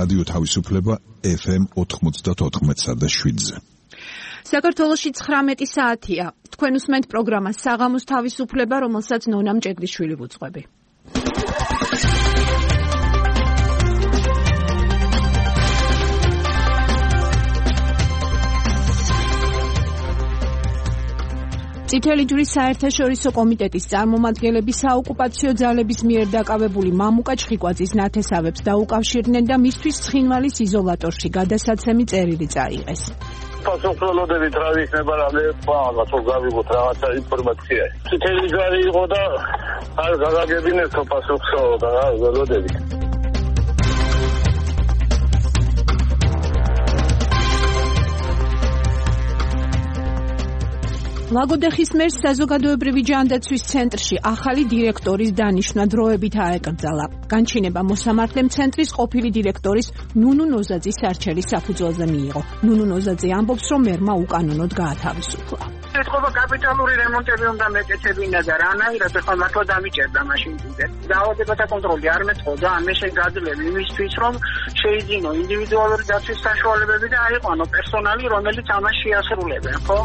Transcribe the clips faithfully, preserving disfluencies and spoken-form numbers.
რადიო თავისუფლება ეფ ემ ოთხმოცდაოთხ და შვიდზე. საქართველოში ცხრამეტი საათია. თქვენ უსმენთ პროგრამას საღამოს თავისუფლება, რომელსაც ნონა მჭედლიშვილი ვუძღვები. წითელი ჯვრის საერთაშორისო კომიტეტის წარმომადგენლები საოკუპაციო ძალების მიერ დაკავებული მამუკა ჩხიკვაძის ნათესავებს დაუკავშირდნენ და მისთვის ცხინვალის იზოლატორში გადასაცემი წერილი წაიღეს. Pasoksolodებით რა იქნება რა მე რაღაც გავიგოთ რაღაცა ინფორმაცია. წითელი ჯვარი იყო და არ გაგაგებინეს თო პასუხსოლოდა რა ველოდებით. ლაგოდეხის მერს საზოგადოებრივი ჯანდაცვის ცენტრში ახალი დირექტორის დანიშვნა დროებით აეკრძალა. განჩინება მოსამართლემ ცენტრის ყოფილი დირექტორის ნუნუ ნოზაძის არჩევის საფუძველზე მიიღო. ნუნუ ნოზაძე ამბობს, რომ მერმა უკანონოდ გაათავისუფლა. ეთქობა კაპიტალური რემონტები უნდა მეკეთებინა და რანაირად ახლა მართლა დამიჭერდა მაშინ კიდე. დაავადებათა კონტროლი არ მეწყოდა, ამე შეგაძლევი იმისთვის, რომ შეიძინო ინდივიდუალური დაცვის საშუალებები და აიყვანო პერსონალი, რომელიც ამას შეასრულებენ, ხო?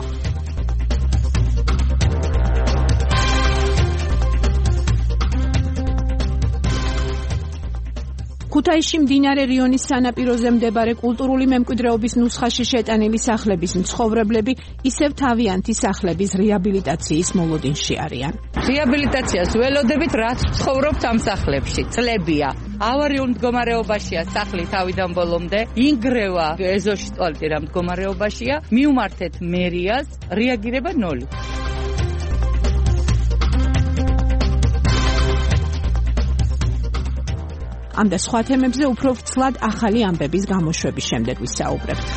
ქუთაისში მდინარე რიონის სანაპიროზე მდებარე კულტურული მემკვიდრეობის ნუსხაში შეტანილი სახლების მცხოვრებლები ისევ თავიანთი სახლების რეაბილიტაციის მოლოდინში არიან. რეაბილიტაციას ველოდებით, რაც ცხოვრობთ ამ სახლებში. წლებია. ავარიულ მდგომარეობაშია სახლი თავიდან ბოლომდე. ინგრევა ეზოში ტუალეტი რა მდგომარეობაშია. მიუმართეთ მერიას, რეაგირება ნული. ამ და სხვა თემებზე უფრო ვრცლად ახალი ამბების გამოშვების შემდეგ ვისაუბრებთ.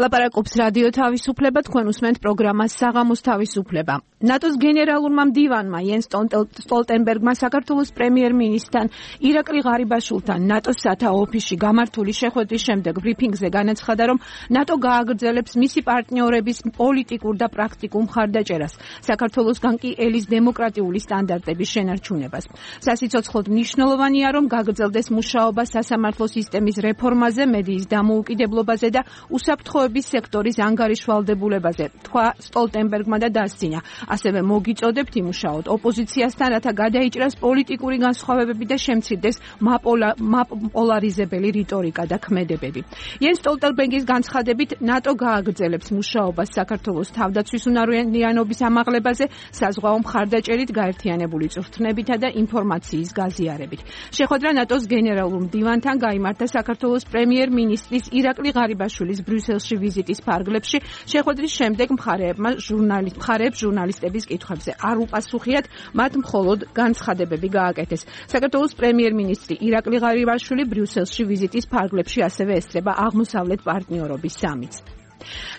ლაპარაკობს რადიო თავისუფლება, თქვენ უსმენთ პროგრამას საღამოს თავისუფლება. ნატოს გენერალურმა მდივანმა იენს სტოლტენბერგმა საქართველოს პრემიერ-მინისტრთან ირაკლი ღარიბაშვილთან ნატოს სათაო ოფისში გამართული შეხვედრის შემდეგ ბრიფინგზე განაცხადა, რომ ნატო გააგრძელებს მისი პარტნიორების პოლიტიკურ და პრაქტიკულ მხარდაჭერას, საქართველოსგან კი ელის დემოკრატიული სტანდარტების შენარჩუნებას. სასიცოცხლოდ მნიშვნელოვანია, რომ გაგრძელდეს მუშაობა სასამართლო სისტემის რეფორმაზე, მედიის დამოუკიდებლობაზე და უსაფრთხოების სექტორის ანგარიშვალდებულებაზე, თქვა სტოლტენბერგმა და დასცინა. ასევე მოგიწოდებთ იმუშაოთ ოპოზიციასთან, რათა გადაიჭრას პოლიტიკური განსხვავებები და შემცირდეს მაპოლარიზებელი რიტორიკა და ქმედებები. იენს სტოლტენბერგის განცხადებით, ნატო გააგრძელებს მუშაობას საქართველოს თავდაცვის უნარიანობის ამაღლებაზე, საზღვაო მხარდაჭერით, გაერთიანებული წვრთნებითა და ინფორმაციის გაზიარებით. შეხვედრა ნატოს გენერალურ მდივანთან გაიმართა საქართველოს პრემიერ-მინისტრის ირაკლი ღარიბაშვილის ბრიუსელში ვიზიტის ფარგლებში. შეხვედრის შემდეგ მხარეებმა ჟურნალისტ მხარეებს ჟურნალისტების კითხვებზე არ უპასუხიათ, მათ მხოლოდ განცხადებები გააკეთეს. საქართველოს პრემიერ-მინისტრი ირაკლი ღარიბაშვილი ბრიუსელში ვიზიტის ფარგლებში ასევე ესწრება აღმოსავლეთ პარტნიორობის სამიტს.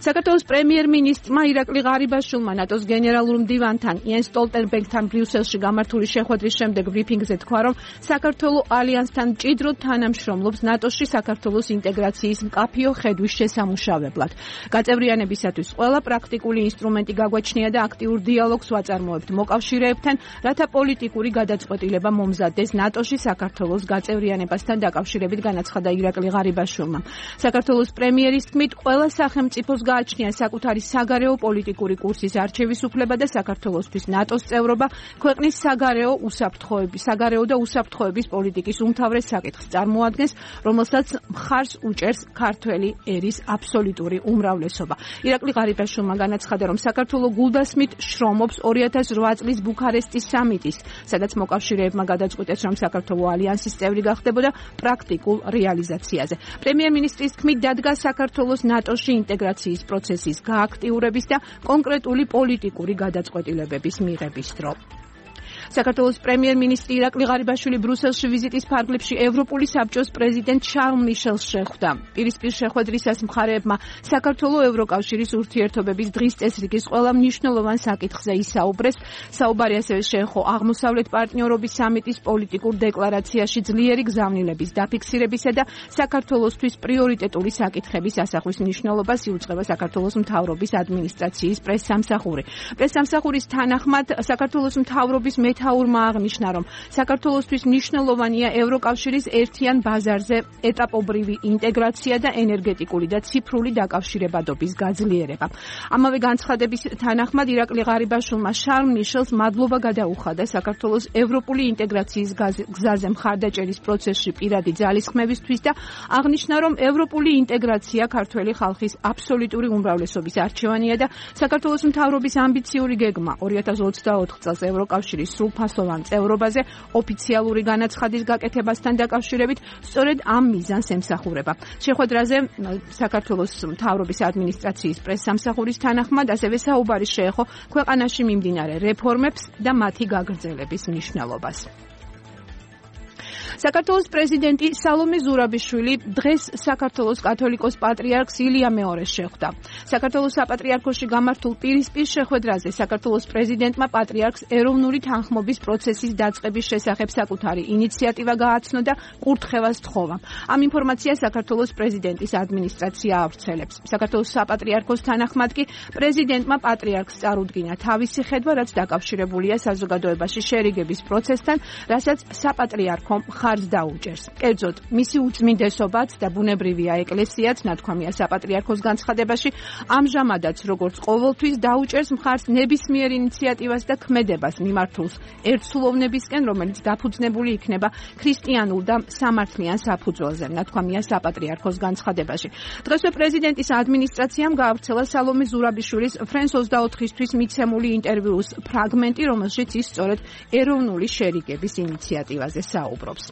საქართველოს პრემიერ-მინისტრმა ირაკლი ღარიბაშვილმა ნატოს გენერალურ მდივანთან იენს სტოლტენბერგთან ბრიუსელში გამართული შეხვედრის შემდეგ ბრიფინგზე თქვა, რომ საქართველო ალიანსთან მჭიდროდ თანამშრომლობს ნატოში საქართველოს ინტეგრაციის მკაფიო ხედვის შესამუშავებლად. გაწევრიანებისათვის ყველა პრაქტიკული ინსტრუმენტი გაგვაჩნია და აქტიურ დიალოგს ვაწარმოებთ მოკავშირეებთან, რათა პოლიტიკური გადაწყვეტილება მომზადდეს ნატოში საქართველოს გაწევრიანებასთან დაკავშირებით, განაცხადა ირაკლი ღარიბაშვილმა. საქართველოს პრემიერის თქმით, ყველა სახელმწიფო სახელმწიფოს გააჩნია საკუთარი საგარეო პოლიტიკური კურსის არჩევის უფლება და საქართველოსთვის ნატოს წევრობა ქვეყნის საგარეო უსაფრთხოების, საგარეო და უსაფრთხოების პოლიტიკის უმთავრეს საკითხს წარმოადგენს, რომელსაც მხარს უჭერს ქართველი ერის აბსოლუტური უმრავლესობა. ირაკლი ღარიბაშვილმა განაცხადა, რომ საქართველო გულდასმით შრომობს ორი ათას ოთხ წლის ბუქარესტის სამიტის, სადაც მოკავშირეებმა გადაწყვიტეს, რომ საქართველო ალიანსის წევრი გახდებოდა პრაქტიკულ რეალიზაციაზე. პრემიერ-მინისტრის თქმით, დადგა საქართველოს ნატოში ინტეგრაციის პროცესის გააქტიურების და კონკრეტული პოლიტიკური გადაწყვეტილებების მიღების დრო. საქართველოს პრემიერ-მინისტრი ირაკლი ღარიბაშვილი ბრუსელში ვიზიტის ფარგლებში ევროპული საბჭოს პრეზიდენტ შარლ მიშელს შეხვდა. პირისპირ შეხვედრისას მხარეებმა საქართველო-ევროკავშირის ურთიერთობების დღის წესრიგის ყველა მნიშვნელოვან საკითხზე ისაუბრეს. საუბარი ასევე შეეხო აღმოსავლეთ პარტნიორობის სამიტის პოლიტიკურ დეკლარაციაში ძლიერი გზავნილების დაფიქსირებისა და საქართველოსთვის პრიორიტეტული საკითხების ასახვის მნიშვნელობას იუწყება საქართველოს მთავრობის ადმინისტრაციის პრესსამსახური. პრესსამსახურის თანახმად საქართველოს მთავრობის მეთაურმა აღნიშნა, რომ საქართველოსთვის მნიშვნელოვანია ევროკავშირის ერთიან ბაზარზე ეტაპობრივი ინტეგრაცია და ენერგეტიკული და ციფრული დაკავშირებადობის გაძლიერება. ამავე განცხადების თანახმად ირაკლი ღარიბაშვილმა შარლ მიშელს მადლობა გადაუხადა საქართველოს ევროპული ინტეგრაციის გზაზე მხარდაჭერის პროცესში პირადი ძალისხმევისთვის და აღნიშნა, რომ ევროპული ინტეგრაცია ქართველი ხალხის აბსოლუტური უმრავლესობის არჩევანია და საქართველოს მთავრობის ამბიციური გეგმა ორი ათას ოცდაოთხ წელს ევროკავშირის სრულფასოვან წევრობაზე ოფიციალური განაცხადის გაკეთებასთან დაკავშირებით სწორედ ამ მიზანს ემსახურება. შეხვედრაზე საქართველოს მთავრობის ადმინისტრაციის პრესსამსახურის თანახმად ასევე საუბარი შეეხო ქვეყანაში მიმდინარე რეფორმებს და მათი გაგრძელების მნიშვნელობას. საქართველოს პრეზიდენტი სალომე ზურაბიშვილი დღეს საქართველოს კათოლიკოს პატრიარქს ილია მეორეს შეხვდა. საქართველოს საპატრიარქოში გამართულ პირისპირ შეხვედრაზე საქართველოს პრეზიდენტმა პატრიარქს ეროვნული თანხმობის პროცესის დაწყების შესახებ საკუთარი ინიციატივა გააცნო და კურთხევას თხოვა. ამ ინფორმაციას საქართველოს პრეზიდენტის ადმინისტრაცია ავრცელებს. საქართველოს საპატრიარქოს თანახმად კი პრეზიდენტმა პატრიარქს წარუდგინა თავისი ხედვა, რაც დაკავშირებულია საზოგადოებაში შერიგების პროცესთან, რასაც საპატრიარქომ ხარჯს დაუჭერს. კერძოდ, მისი უწმინდესობაც და ბუნებრივია ეკლესიაც, ნათქვამია საპატრიარქოს განცხადებაში, ამჟამადაც როგორც ყოველთვის დაუჭერს მხარს ნებისმიერ ინიციატივას და ქმედებას მიმართულს ერთსულოვნებისკენ, რომელიც დაფუძნებული იქნება ქრისტიანულ და სამართლიან საფუძველზე, ნათქვამია საპატრიარქოს განცხადებაში. დღესვე პრეზიდენტის ადმინისტრაციამ გაავრცელა სალომე ზურაბიშვილის ფრენს ოცდაოთხისთვის მიცემული ინტერვიუს ფრაგმენტი, რომელშიც ის სწორედ ეროვნული შერიგების ინიციატივაზე საუბრობს.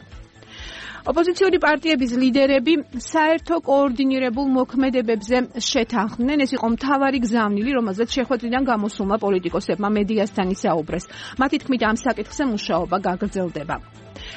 ოპოზიციური პარტიების ლიდერები საერთო კოორდინირებულ მოქმედებებზე შეთანხმდნენ. ეს იყო მთავარი გზავნილი, რომელზეც შეხვედრიდან გამოსულმა პოლიტიკოსებმა მედიასთან ისაუბრეს. მათი თქმით, ამ საკითხზე მუშაობა გაგრძელდება.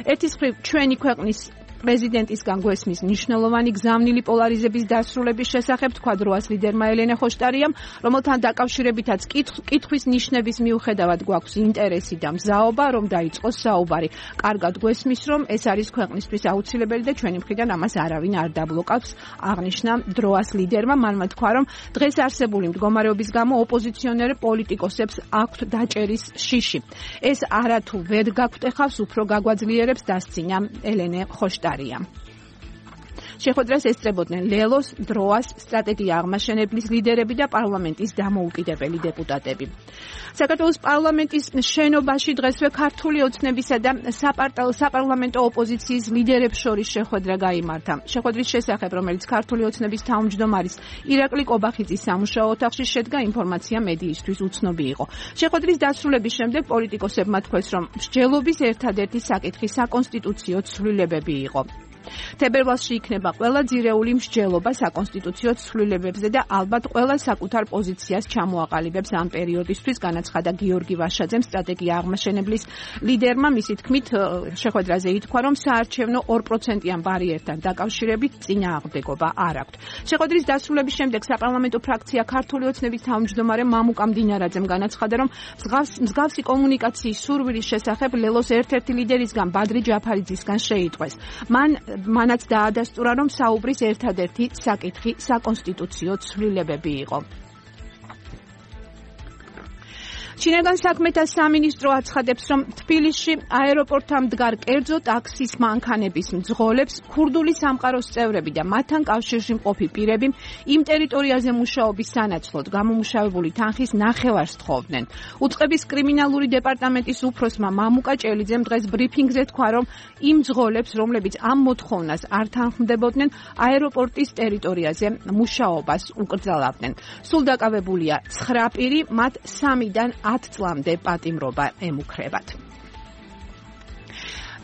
ერთის მხრივ ჩვენი ქვეყნის პრეზიდენტისგან გვესმის მნიშვნელოვანი გზავნილი პოლარიზების დასრულების შესახებ, თქვა დროას ლიდერმა ელენე ხოშტარიამ, რომელთან დაკავშირებითაც კითხვის ნიშნების მიუხედავად გვაქვს ინტერესი და მზაობა, რომ დაიწყოს საუბარი. კარგად გვესმის, რომ ეს არის ქვეყნისთვის აუცილებელი და ჩვენი მხრიდან ამას არავინ არ დაბლოკავს, აღნიშნა დროას ლიდერმა. მანმა თქვა, რომ დღეს არსებული მდგომარეობის გამო ოპოზიციონერ პოლიტიკოსებს აქვთ დაჭერის შიში. ეს არათუ ვერ გაგვტეხავს, უფრო გაგვაძლიერებს, დასცინა ელენე ხოშტარიამ. შეხვედრას ესწრებოდნენ ლელოს, დროას, სტრატეგია აღმაშენებლის ლიდერები და პარლამენტის დამოუკიდებელი დეპუტატები. საქართველოს პარლამენტის შენობაში დღესვე ქართული ოცნებისა და საპარლამენტო ოპოზიციის ლიდერებს შორის შეხვედრა გაიმართა. შეხვედრის შესახებ, რომელიც ქართული ოცნების თავმჯდომარის ირაკლი კობახიძის სამუშაო ოთახში შედგა, ინფორმაცია მედიისთვის უცნობი იყო. შეხვედრის დასრულების შემდეგ პოლიტიკოსებმა თქვეს, რომ მსჯელობის ერთადერთი საკითხი საკონსტიტუციო ცვლილებები იყო. თებერვალში იქნება ყველა ძირეული მსჯელობა საკონსტიტუციო ცვლილებებზე და ალბათ ყველა საკუთარ პოზიციას ჩამოაყალიბებს ამ პერიოდისთვის, განაცხადა გიორგი ვაშაძემ, სტრატეგია აღმაშენებლის ლიდერმა. მისი თქმით, შეხვედრაზე ითქვა, რომ საარჩევნო ორ პროცენტიან ბარიერთან დაკავშირებით წინააღმდეგობა არ აქვთ. შეხვედრის დასრულების შემდეგ საპარლამენტო ფრაქცია ქართული ოცნების თავმჯდომარე მამუკა მდინარაძემ განაცხადა, რომ მსგავსი კომუნიკაციის სურვილის შესახებ ლელოს ერთ-ერთი ლიდერისგან ბადრი ჯაფარიძისგან შეიტყვეს. მან მანაც დაადასტურა, რომ საუბრის ერთადერთი საკითხი საკონსტიტუციო ცვლილებები იყო. ჩინეთგან საქმეთა სამინისტრო აცხადებს, რომ თბილისში აეროპორტთან მდგარ კერძო ტაქსის მანქანების მძღოლებს ქურდული სამყაროს წევრები და მათთან კავშირში მყოფი პირები იმ ტერიტორიაზე მუშაობის სანაცვლოდ გამომუშავებული თანხის ნახევარს თხოვდნენ. უწყების კრიმინალური დეპარტამენტის უფროსმა მამუკა ჭელიძემ დღეს ბრიფინგზე თქვა, რომ იმ მძღოლებს, რომლებიც ამ მოთხოვნას არ თანხმდებოდნენ, აეროპორტის ტერიტორიაზე მუშაობას უკრძალავდნენ. სულ დაკავებულია ცხრა პირი, მათ სამიდან ათ წლამდე პატიმრობა ემუქრებათ.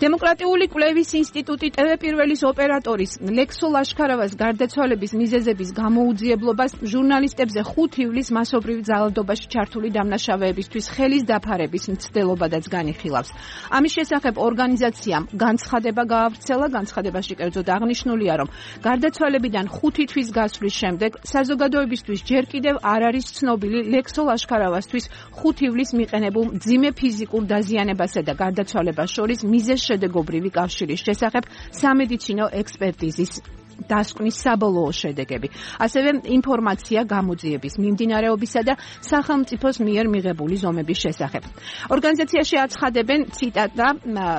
დემოკრატიული კვლევის ინსტიტუტი ტევ პირველის ოპერატორის ლექსო ლაშქარავას გარდაცვალების მიზეზების გამოუძიებლობას ჟურნალისტებზე ხუთ ივლისს მასობრივ ძალადობაში ჩართული დამნაშავეებისთვის ხელის დაფარების მცდელობადაც განიხილავს. ამის შესახებ ორგანიზაციამ განცხადება გაავრცელა. განცხადებაში კერძოდ აღნიშნულია, რომ გარდაცვალებიდან ხუთი თვის გასვლის შემდეგ საზოგადოებისთვის ჯერ კიდევ არ არის ცნობილი ლექსო ლაშქარავასთვის ხუთ ივლისს მიყენებულ მძიმე ფიზიკურ დაზიანებასა და გარდაცვალებას შორის მიზეზ შედეგობრივი კავშირის შესახებ სამედიცინო ექსპერტიზის დასკვნის საბოლოო შედეგები. ასევე ინფორმაცია გამოძიების მიმდინარეობისა და სახელმწიფოს მიერ მიღებული ზომების შესახებ. ორგანიზაციაში აცხადებენ ციტატა,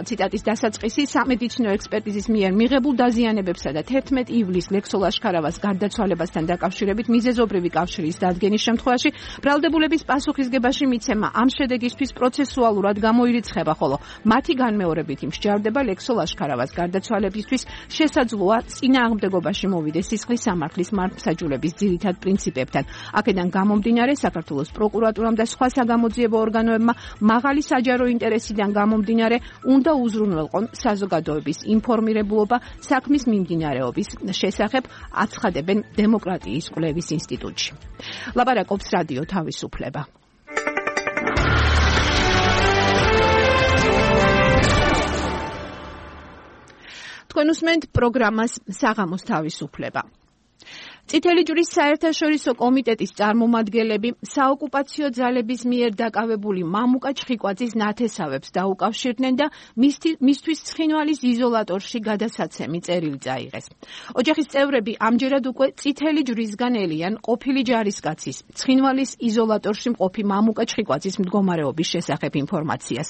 ციტატის დასაწყისი სამედიცინო ექსპერტიზის მიერ მიღებულ დაზიანებებსა და თერთმეტ ივლისს ლექსო ლაშქარავას გარდაცვალებასთან დაკავშირებით მიზეზობრივი კავშირის დადგენის შემთხვევაში ბრალდებულების პასუხისგებაში მიცემა ამ შედეგისთვის პროცესუალურად გამოირიცხება, ხოლო მათი განმეორებით მსჯავრდება ლექსო ლაშქარავას გარდაცვალებისთვის შესაძლოა წინააღმდეგობაში მოვიდეს სისხლის სამართლის მართლმსაჯულების ძირითად პრინციპებთან. აქედან გამომდინარე საქართველოს პროკურატურამ და სხვა საგამოძიებო ორგანოებმა მაღალი საჯარო ინტერესიდან გამომდინარე უნდა უზრუნველყონ საზოგადოების ინფორმირებულობა საქმის მიმდინარეობის შესახებ, აცხადებენ დემოკრატიის კვლევის ინსტიტუტში. ლაპარაკობს რადიო თავისუფლება. თქვენ უსმენთ პროგრამას საღამოს თავისუფლება. წითელი ჯვრის საერთაშორისო კომიტეტის წარმომადგენლები საოკუპაციო ძალების მიერ დაკავებული მამუკა ჩხიკვაძის ნათესავებს დაუკავშირდნენ და მისთვის ცხინვალის იზოლატორში გადასაცემი წერილი წაიღეს. ოჯახის წევრები ამჯერად უკვე წითელი ჯვრისგან ელიან ყოფილი ჯარისკაცის ცხინვალის იზოლატორში მყოფი მამუკა ჩხიკვაძის მდგომარეობის შესახებ ინფორმაციას.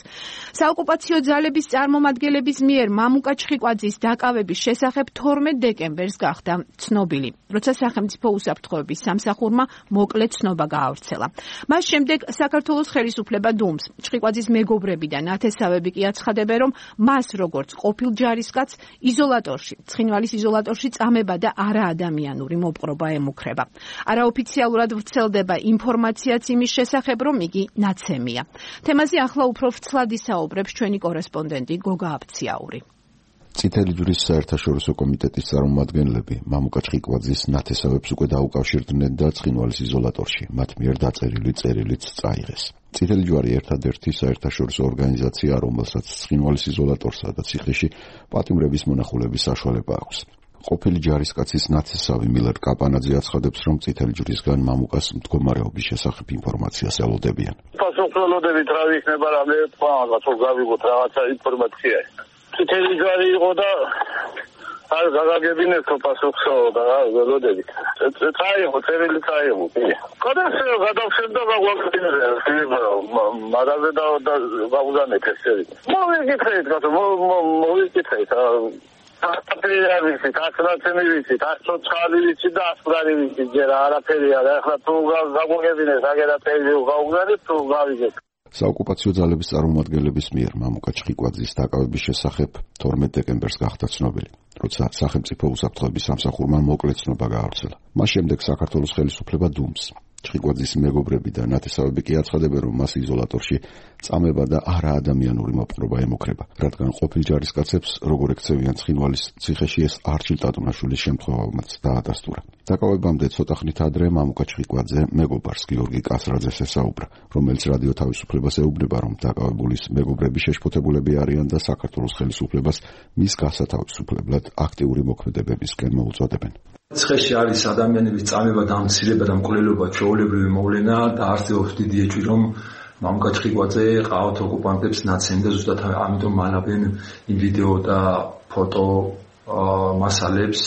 საოკუპაციო ძალების წარმომადგენლების მიერ მამუკა ჩხიკვაძის დაკავების შესახებ თორმეტ დეკემბერს გახდა ცნობილი, როცა სახელმწიფო უსაფრთხოების სამსახურმა მოკლე ცნობა გაავრცელა. მას შემდეგ საქართველოს ხელისუფლება დუმს ჩხიკვაძის მეგობრები და ნათესავები კი აცხადებენ, რომ მას როგორც ყოფილ ჯარისკაცს იზოლატორში, ცხინვალის იზოლატორში წამება და არაადამიანური მოპყრობა ემუქრება. არაოფიციალურად ვრცელდება ინფორმაციაც იმის შესახებ, რომ იგი ნაცემია. თემაზე ახლა უფრო ვრცლად ისაუბრებს ჩვენი კორესპონდენტი გოგა აფციაური. წითელი ჯვრის საერთაშორისო კომიტეტის წარმომადგენლები მამუკა ჩხიკვაძის ნათესავებს უკვე დაუკავშირდნენ და ცხინვალის იზოლატორში მათ მიერ დაწერილი წერილიც წაიღეს. წითელი ჯვარი ერთადერთი საერთაშორისო ორგანიზაციაა, რომელსაც ცხინვალის იზოლატორსა და ციხეში პატიმრების მონახულების საშუალება აქვს. ყოფილი ჯარისკაცის ნათესავი მილერ კაპანაძე აცხადებს, რომ წითელი ჯვრისგან მამუკას მდგომარეობის შესახებ ინფორმაციას ელოდებიან. პასუხველოდებით რა იქნება, რამე რაღაც გავიგოთ რაღაცა ინფორმაცია. წითელი ჯვარი იყო და არ გაგაგებინეს თო პასუხსო და ველოდებით. წაიღო, წერილი წაიღო. გადასწრა გადავშენდა გაგვაგებინეს, მაგაზე და გავუზანეთ ეს წერილი. მოვიკითხეთ, გასო მოვიკითხეთ. აფერია ვიცით, ასრაცემი ვიცით, ასოცხალი ვიცით და ასპრანი ვიცით, ჯერ არაფერი არა. ახლა თუ გაგვაგებინეს, აგერაფერი გავუგზავნეთ, თუ გავიგეთ. საოკუპაციო ძალების წარმომადგენლების მიერ მამუკა ჩხიკვაძის დაკავების შესახებ თორმეტ დეკემბერს გახდა ცნობილი, როცა სახელმწიფო უსაფრთხოების სამსახურმა მოკლე ცნობა გაავრცელა. მას შემდეგ საქართველოს ხელისუფლება დუმს ჩხიკვაძის მეგობრები და ნათესავები კი აცხადებენ, რომ მას იზოლატორში წამება და არაადამიანური მოპყრობა ემუქრება, რადგან ყოფილ ჯარისკაცებს როგორ ექცევიან ცხინვალის ციხეში, ეს არჩილ ტატუნაშვილის შემთხვევამაც დაადასტურა. დაკავებამდე ცოტა ხნით ადრე მამუკა ჩხიკვაძე მეგობარს გიორგი კასრაძეს ესაუბრა, რომელიც რადიო თავისუფლებას ეუბნება, რომ დაკავებულის მეგობრები შეშფოთებულები არიან და საქართველოს ხელისუფლებას მის გასათავისუფლებლად აქტიური მოქმედებებისკენ მოუწოდებენ. ციხეში არის ადამიანების წამება და ამცირება და მკვლელობა ჩვეულებრივი მოვლენა და არსებობს დიდი ეჭვი, რომ მამუკა ჩხიკვაძე ყავთ ოკუპანტებს ნაცემდა, ზუსტად ამიტომ მალავენ იმ ვიდეო და ფოტო მასალებს,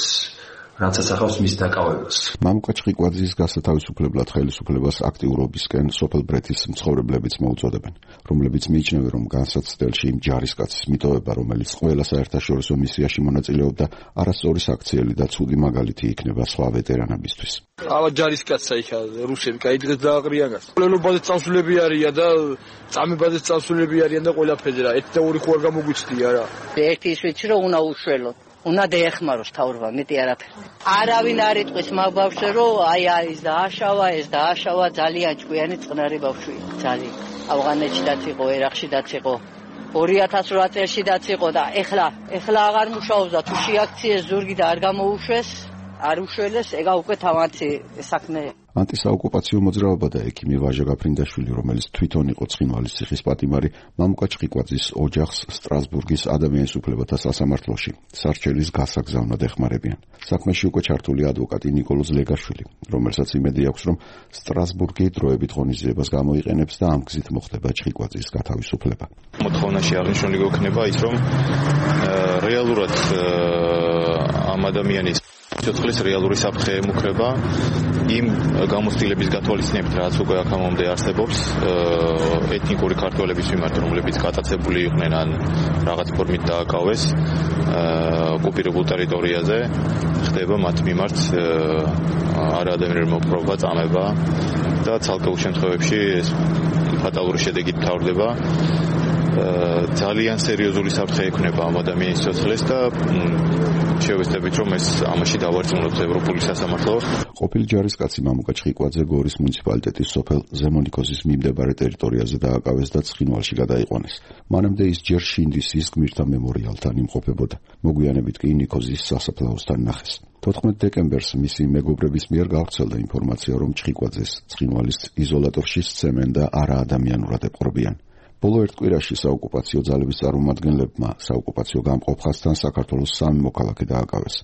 რაც ასახავს მის დაკავებას. მამუკა ჩხიკვაძის გასათავისუფლებლად ხელისუფლებას აქტიურობისკენ სოფელ ბრეთის მცხოვრებლებიც მოუწოდებენ, რომლებიც მიიჩნევენ, რომ განსაცდელში იმ ჯარისკაცის მიტოვება, რომელიც ყველა საერთაშორისო მისიაში მონაწილეობდა, არასწორი საქციელი და ცუდი მაგალითი იქნება სხვა ვეტერანებისთვის. ალა ჯარისკაცსა იქა რუსები გაიძღეს და აღრიანას. ყველობაზე წამსულები არიან და წამებაზე წამსულები არიან და ყველაფერზე რა. ერთი და ორი ხო არ გამოგვიცდია რა. ერთი ის ვიცი რომ უნდა უშველოთ. უნდა დაეხმაროს თავრობა, მეტი არაფერი. არავინ არ იტყვის მაგ ბავშვზე, რომ აი ეს დააშავა, ეს დააშავა, ძალიან ჭკვიანი წყნარი ბავშვია, ძალიან. ავღანეთშიდაც იყო, ერაყშიდაც იყო. ორი ათას ოთხ წელშიდაც იყო და ეხლა ეხლა აღარ მუშაობს და თუ შეაქციეს ზურგი და არ გამოუშვეს, არ უშველეს, ეგა უკვე თავანთი საქმე. ანტისაოკუპაციო მოძრაობა და ექიმი ვაჟა გაფრინდაშვილი, რომელიც თვითონ იყო ცხინვალის ციხის პატიმარი, მამუკა ჩხიკვაძის ოჯახს სტრასბურგის ადამიანის უფლებათა სასამართლოში სარჩელის გასაგზავნად ეხმარებიან. საქმეში უკვე ჩართული ადვოკატი ნიკოლოზ ლეგაშვილი, რომელსაც იმედი აქვს, რომ სტრასბურგი დროებით ღონისძიებას გამოიყენებს და ამ გზით მოხდება ჩხიკვაძის გათავისუფლება. მოთხოვნაში აღნიშნული გვექნება ის, რომ რეალურად ამ ადამიანის სიცოცხლის რეალური საფრთხე ემუქრება იმ გამოცდილების გათვალისწინებით, რაც უკვე აქამდე არსებობს ეთნიკური ქართველების მიმართ, რომლებიც გატაცებული იყვნენ ან რაღაც ფორმით დააკავეს ოკუპირებულ ტერიტორიაზე, ხდება მათ მიმართ არაადამიანური მოპყრობა, წამება და ცალკეულ შემთხვევებში ფატალური შედეგით მთავრდება. ძალიან სერიოზული საფრთხე ექნება ამ ადამიანის სიცოცხლეს და შევეცდებით, რომ ეს ამაში დავარწმუნოთ ევროპული სასამართლო. ყოფილი ჯარისკაცი მამუკა ჩხიკვაძე გორის მუნიციპალიტეტის სოფელ ზემონიქოზის მიმდებარე ტერიტორიაზე დააკავეს და ცხინვალში გადაიყვანეს. მანამდე ის ჯერ შინდისის გმირთა მემორიალთან იმყოფებოდა. მოგვიანებით კი ნიქოზის სასაფლაოსთან ნახეს. თოთხმეტ დეკემბერს მისი მეგობრების მიერ გავრცელდა ინფორმაცია, რომ ჩხიკვაძეს ცხინვალის იზოლატორში სცემენ და არაადამიანურად ეპყრობიან. ბოლო ერთ კვირაში საოკუპაციო ძალების წარმომადგენლებმა საოკუპაციო გამყოფხასთან საქართველოს სამი მოქალაქე დააკავეს.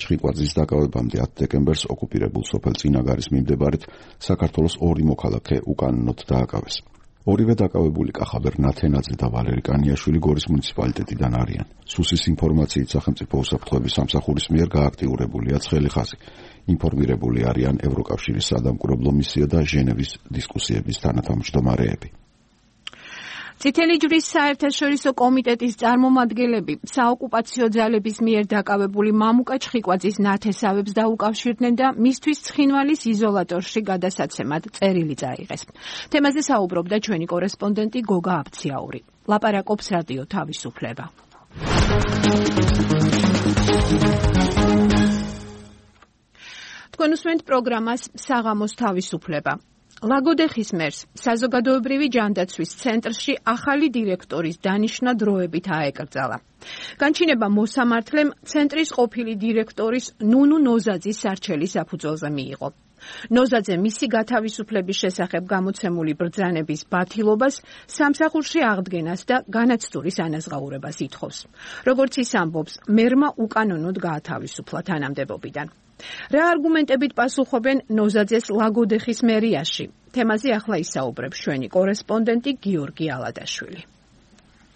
ჩხიკვაძის დაკავებამდე ათი დეკემბერს ოკუპირებულ სოფელ წინაგარის მიმდებარედ საქართველოს ორი მოქალაქე უკანონოდ დააკავეს. ორივე დაკავებული კახაბერ ნათენაძე და ვალერი კანიაშვილი გორის მუნიციპალიტეტიდან არიან. სუსის ინფორმაციით სახელმწიფო უსაფრთხოების სამსახურის მიერ გააქტიურებულია ცხელი ხაზი. ინფორმირებული არიან ევროკავშირის სადამკვირვებლო მისია და ჟენევის დისკუსიების თანათავმჯდომარეები. წითელი ჯვრის საერთაშორისო კომიტეტის წარმომადგენლები საოკუპაციო ძალების მიერ დაკავებული მამუკა ჩხიკვაძის ნათესავებს დაუკავშირდნენ და მისთვის ცხინვალის იზოლატორში გადასაცემად წერილი წაიღეს. თემაზე საუბრობდა ჩვენი კორესპონდენტი გოგა აბციაური. ლაპარაკობს რადიო თავისუფლება. თქვენ უსმენთ პროგრამას საღამოს თავისუფლება. ლაგოდეხის მერს საზოგადოებრივი ჯანდაცვის ცენტრში ახალი დირექტორის დანიშვნა დროებით აეკრძალა. განჩინება მოსამართლემ ცენტრის ყოფილი დირექტორის ნუნუ ნოზაძის სარჩელის საფუძველზე მიიღო. ნოზაძე მისი გათავისუფლების შესახებ გამოცემული ბრძანების ბათილობას, სამსახურში აღდგენას და განაცდურის ანაზღაურებას ითხოვს. როგორც ის ამბობს, მერმა უკანონოდ გაათავისუფლა თანამდებობიდან. რა არგუმენტებით პასუხობენ ნოზაძეს ლაგოდეხის მერიაში? თემაზე ახლა ისაუბრებს ჩვენი კორესპონდენტი გიორგი ალადაშვილი.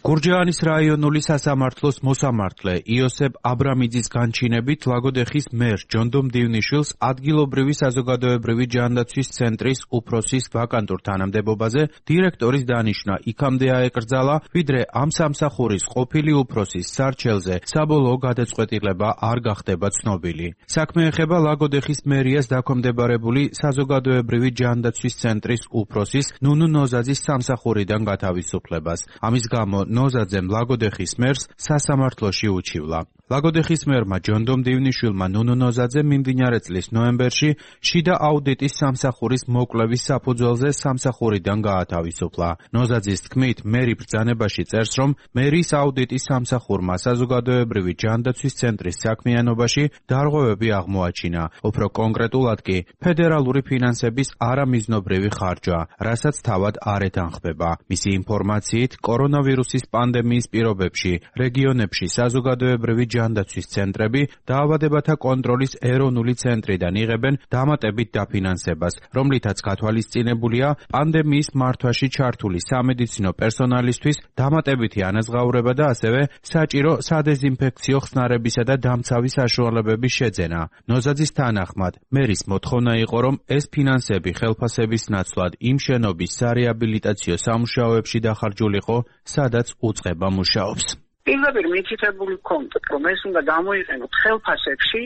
გურჯაანის რაიონული სასამართლოს მოსამართლე იოსებ აბრამიძის განჩინებით ლაგოდეხის მერს ჯონდომ დივნიშვილს ადგილობრივი საზოგადოებრივი ჯანდაცვის ცენტრის უფროსის ვაკანტურ თანამდებობაზე დირექტორის დანიშვნა იქამდე აეკრძალა, ვიდრე ამ სამსახურის ყოფილი უფროსის სარჩელზე საბოლოო გადაწყვეტილება არ გახდება ცნობილი. საქმე ეხება ლაგოდეხის მერიას დაქვემდებარებული საზოგადოებრივი ჯანდაცვის ცენტრის უფროსის ნუნუ ნოზაძის სამსახურიდან გათავისუფლებას. ამის გამო ნოზაძემ ლაგოდეხის მერს სასამართლოში უჩივლა. ლაგოდეხის მერმა ჯონდომ დივნიშვილმა ნუნუ ნოზაძე მიმდინარე წლის ნოემბერში შიდა აუდიტის სამსახურის მოკვლევის საფუძველზე სამსახურიდან გაათავისუფლა. ნოზაძის თქმით, მერი ბრძანებაში წერს, რომ მერის აუდიტის სამსახურმა საზოგადოებრივი ჯანდაცვის ცენტრის საქმიანობაში დარღვევები აღმოაჩინა. უფრო კონკრეტულად კი ფედერალური ფინანსების არამიზნობრივი ხარჯვა, რასაც თავად არ ეთანხმება. მისი ინფორმაციით, კორონავირუსის პანდემიის პირობებში რეგიონებში საზოგადოებრივი ჯანდაცვის ცენტრები დაავადებათა კონტროლის ეროვნული ცენტრიდან იღებენ დამატებით დაფინანსებას, რომლითაც გათვალისწინებულია პანდემიის მართვაში ჩართული სამედიცინო პერსონალისთვის დამატებითი ანაზღაურება და ასევე საჭირო სადეზინფექციო ხსნარებისა და დამცავი საშუალებების შეძენა. ნოზაძის თანახმად, მერის მოთხოვნა იყო, რომ ეს ფინანსები ხელფასების ნაცვლად იმ შენობის სარეაბილიტაციო სამუშაოებში დახარჯულიყო, სადაც უწყება მუშაობს. პირდაპირ მითითებული კონტ, რომ ეს უნდა გამოიყენოთ ხელფასებში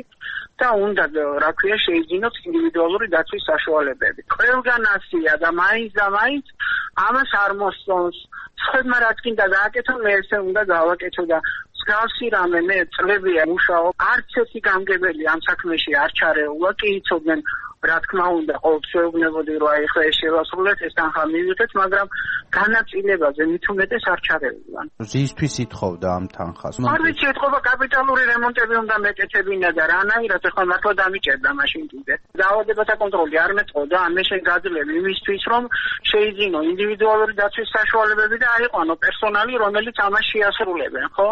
და უნდა, რა ქვია, შეიძინოთ ინდივიდუალური დაცვის საშუალებები. ყველგან ასია და მაინც და მაინც ამას არ მოსწონს. სხვებმა რაც კიდე გააკეთო, მე ესე უნდა გავაკეთო და მსგავსი რამე მე წლებია მუშაობ. არც ერთი გამგებელი ამ საქმეში არ ჩარეულა, კი იცოდნენ რა თქმა უნდა ყოველთვის ვეუბნებოდი რომ აი ხა ეს შევასრულეთ ეს თანხა მივიღეთ მაგრამ განაწილებაზე მით უმეტეს არ ჩარევიან ზისთვის ითხოვდა ამ თანხას არ ვიცი ეთქობა კაპიტალური რემონტები უნდა მეკეთებინა და რანაირად ეხლა მართლა დამიჭერდა მაშინ კიდე დაავადებათა კონტროლი არ მეტყოდა ამ შენ გაძლევი იმისთვის რომ შეიძინო ინდივიდუალური დაცვის საშუალებები და აიყვანო პერსონალი რომელიც ამას შეასრულებენ ხო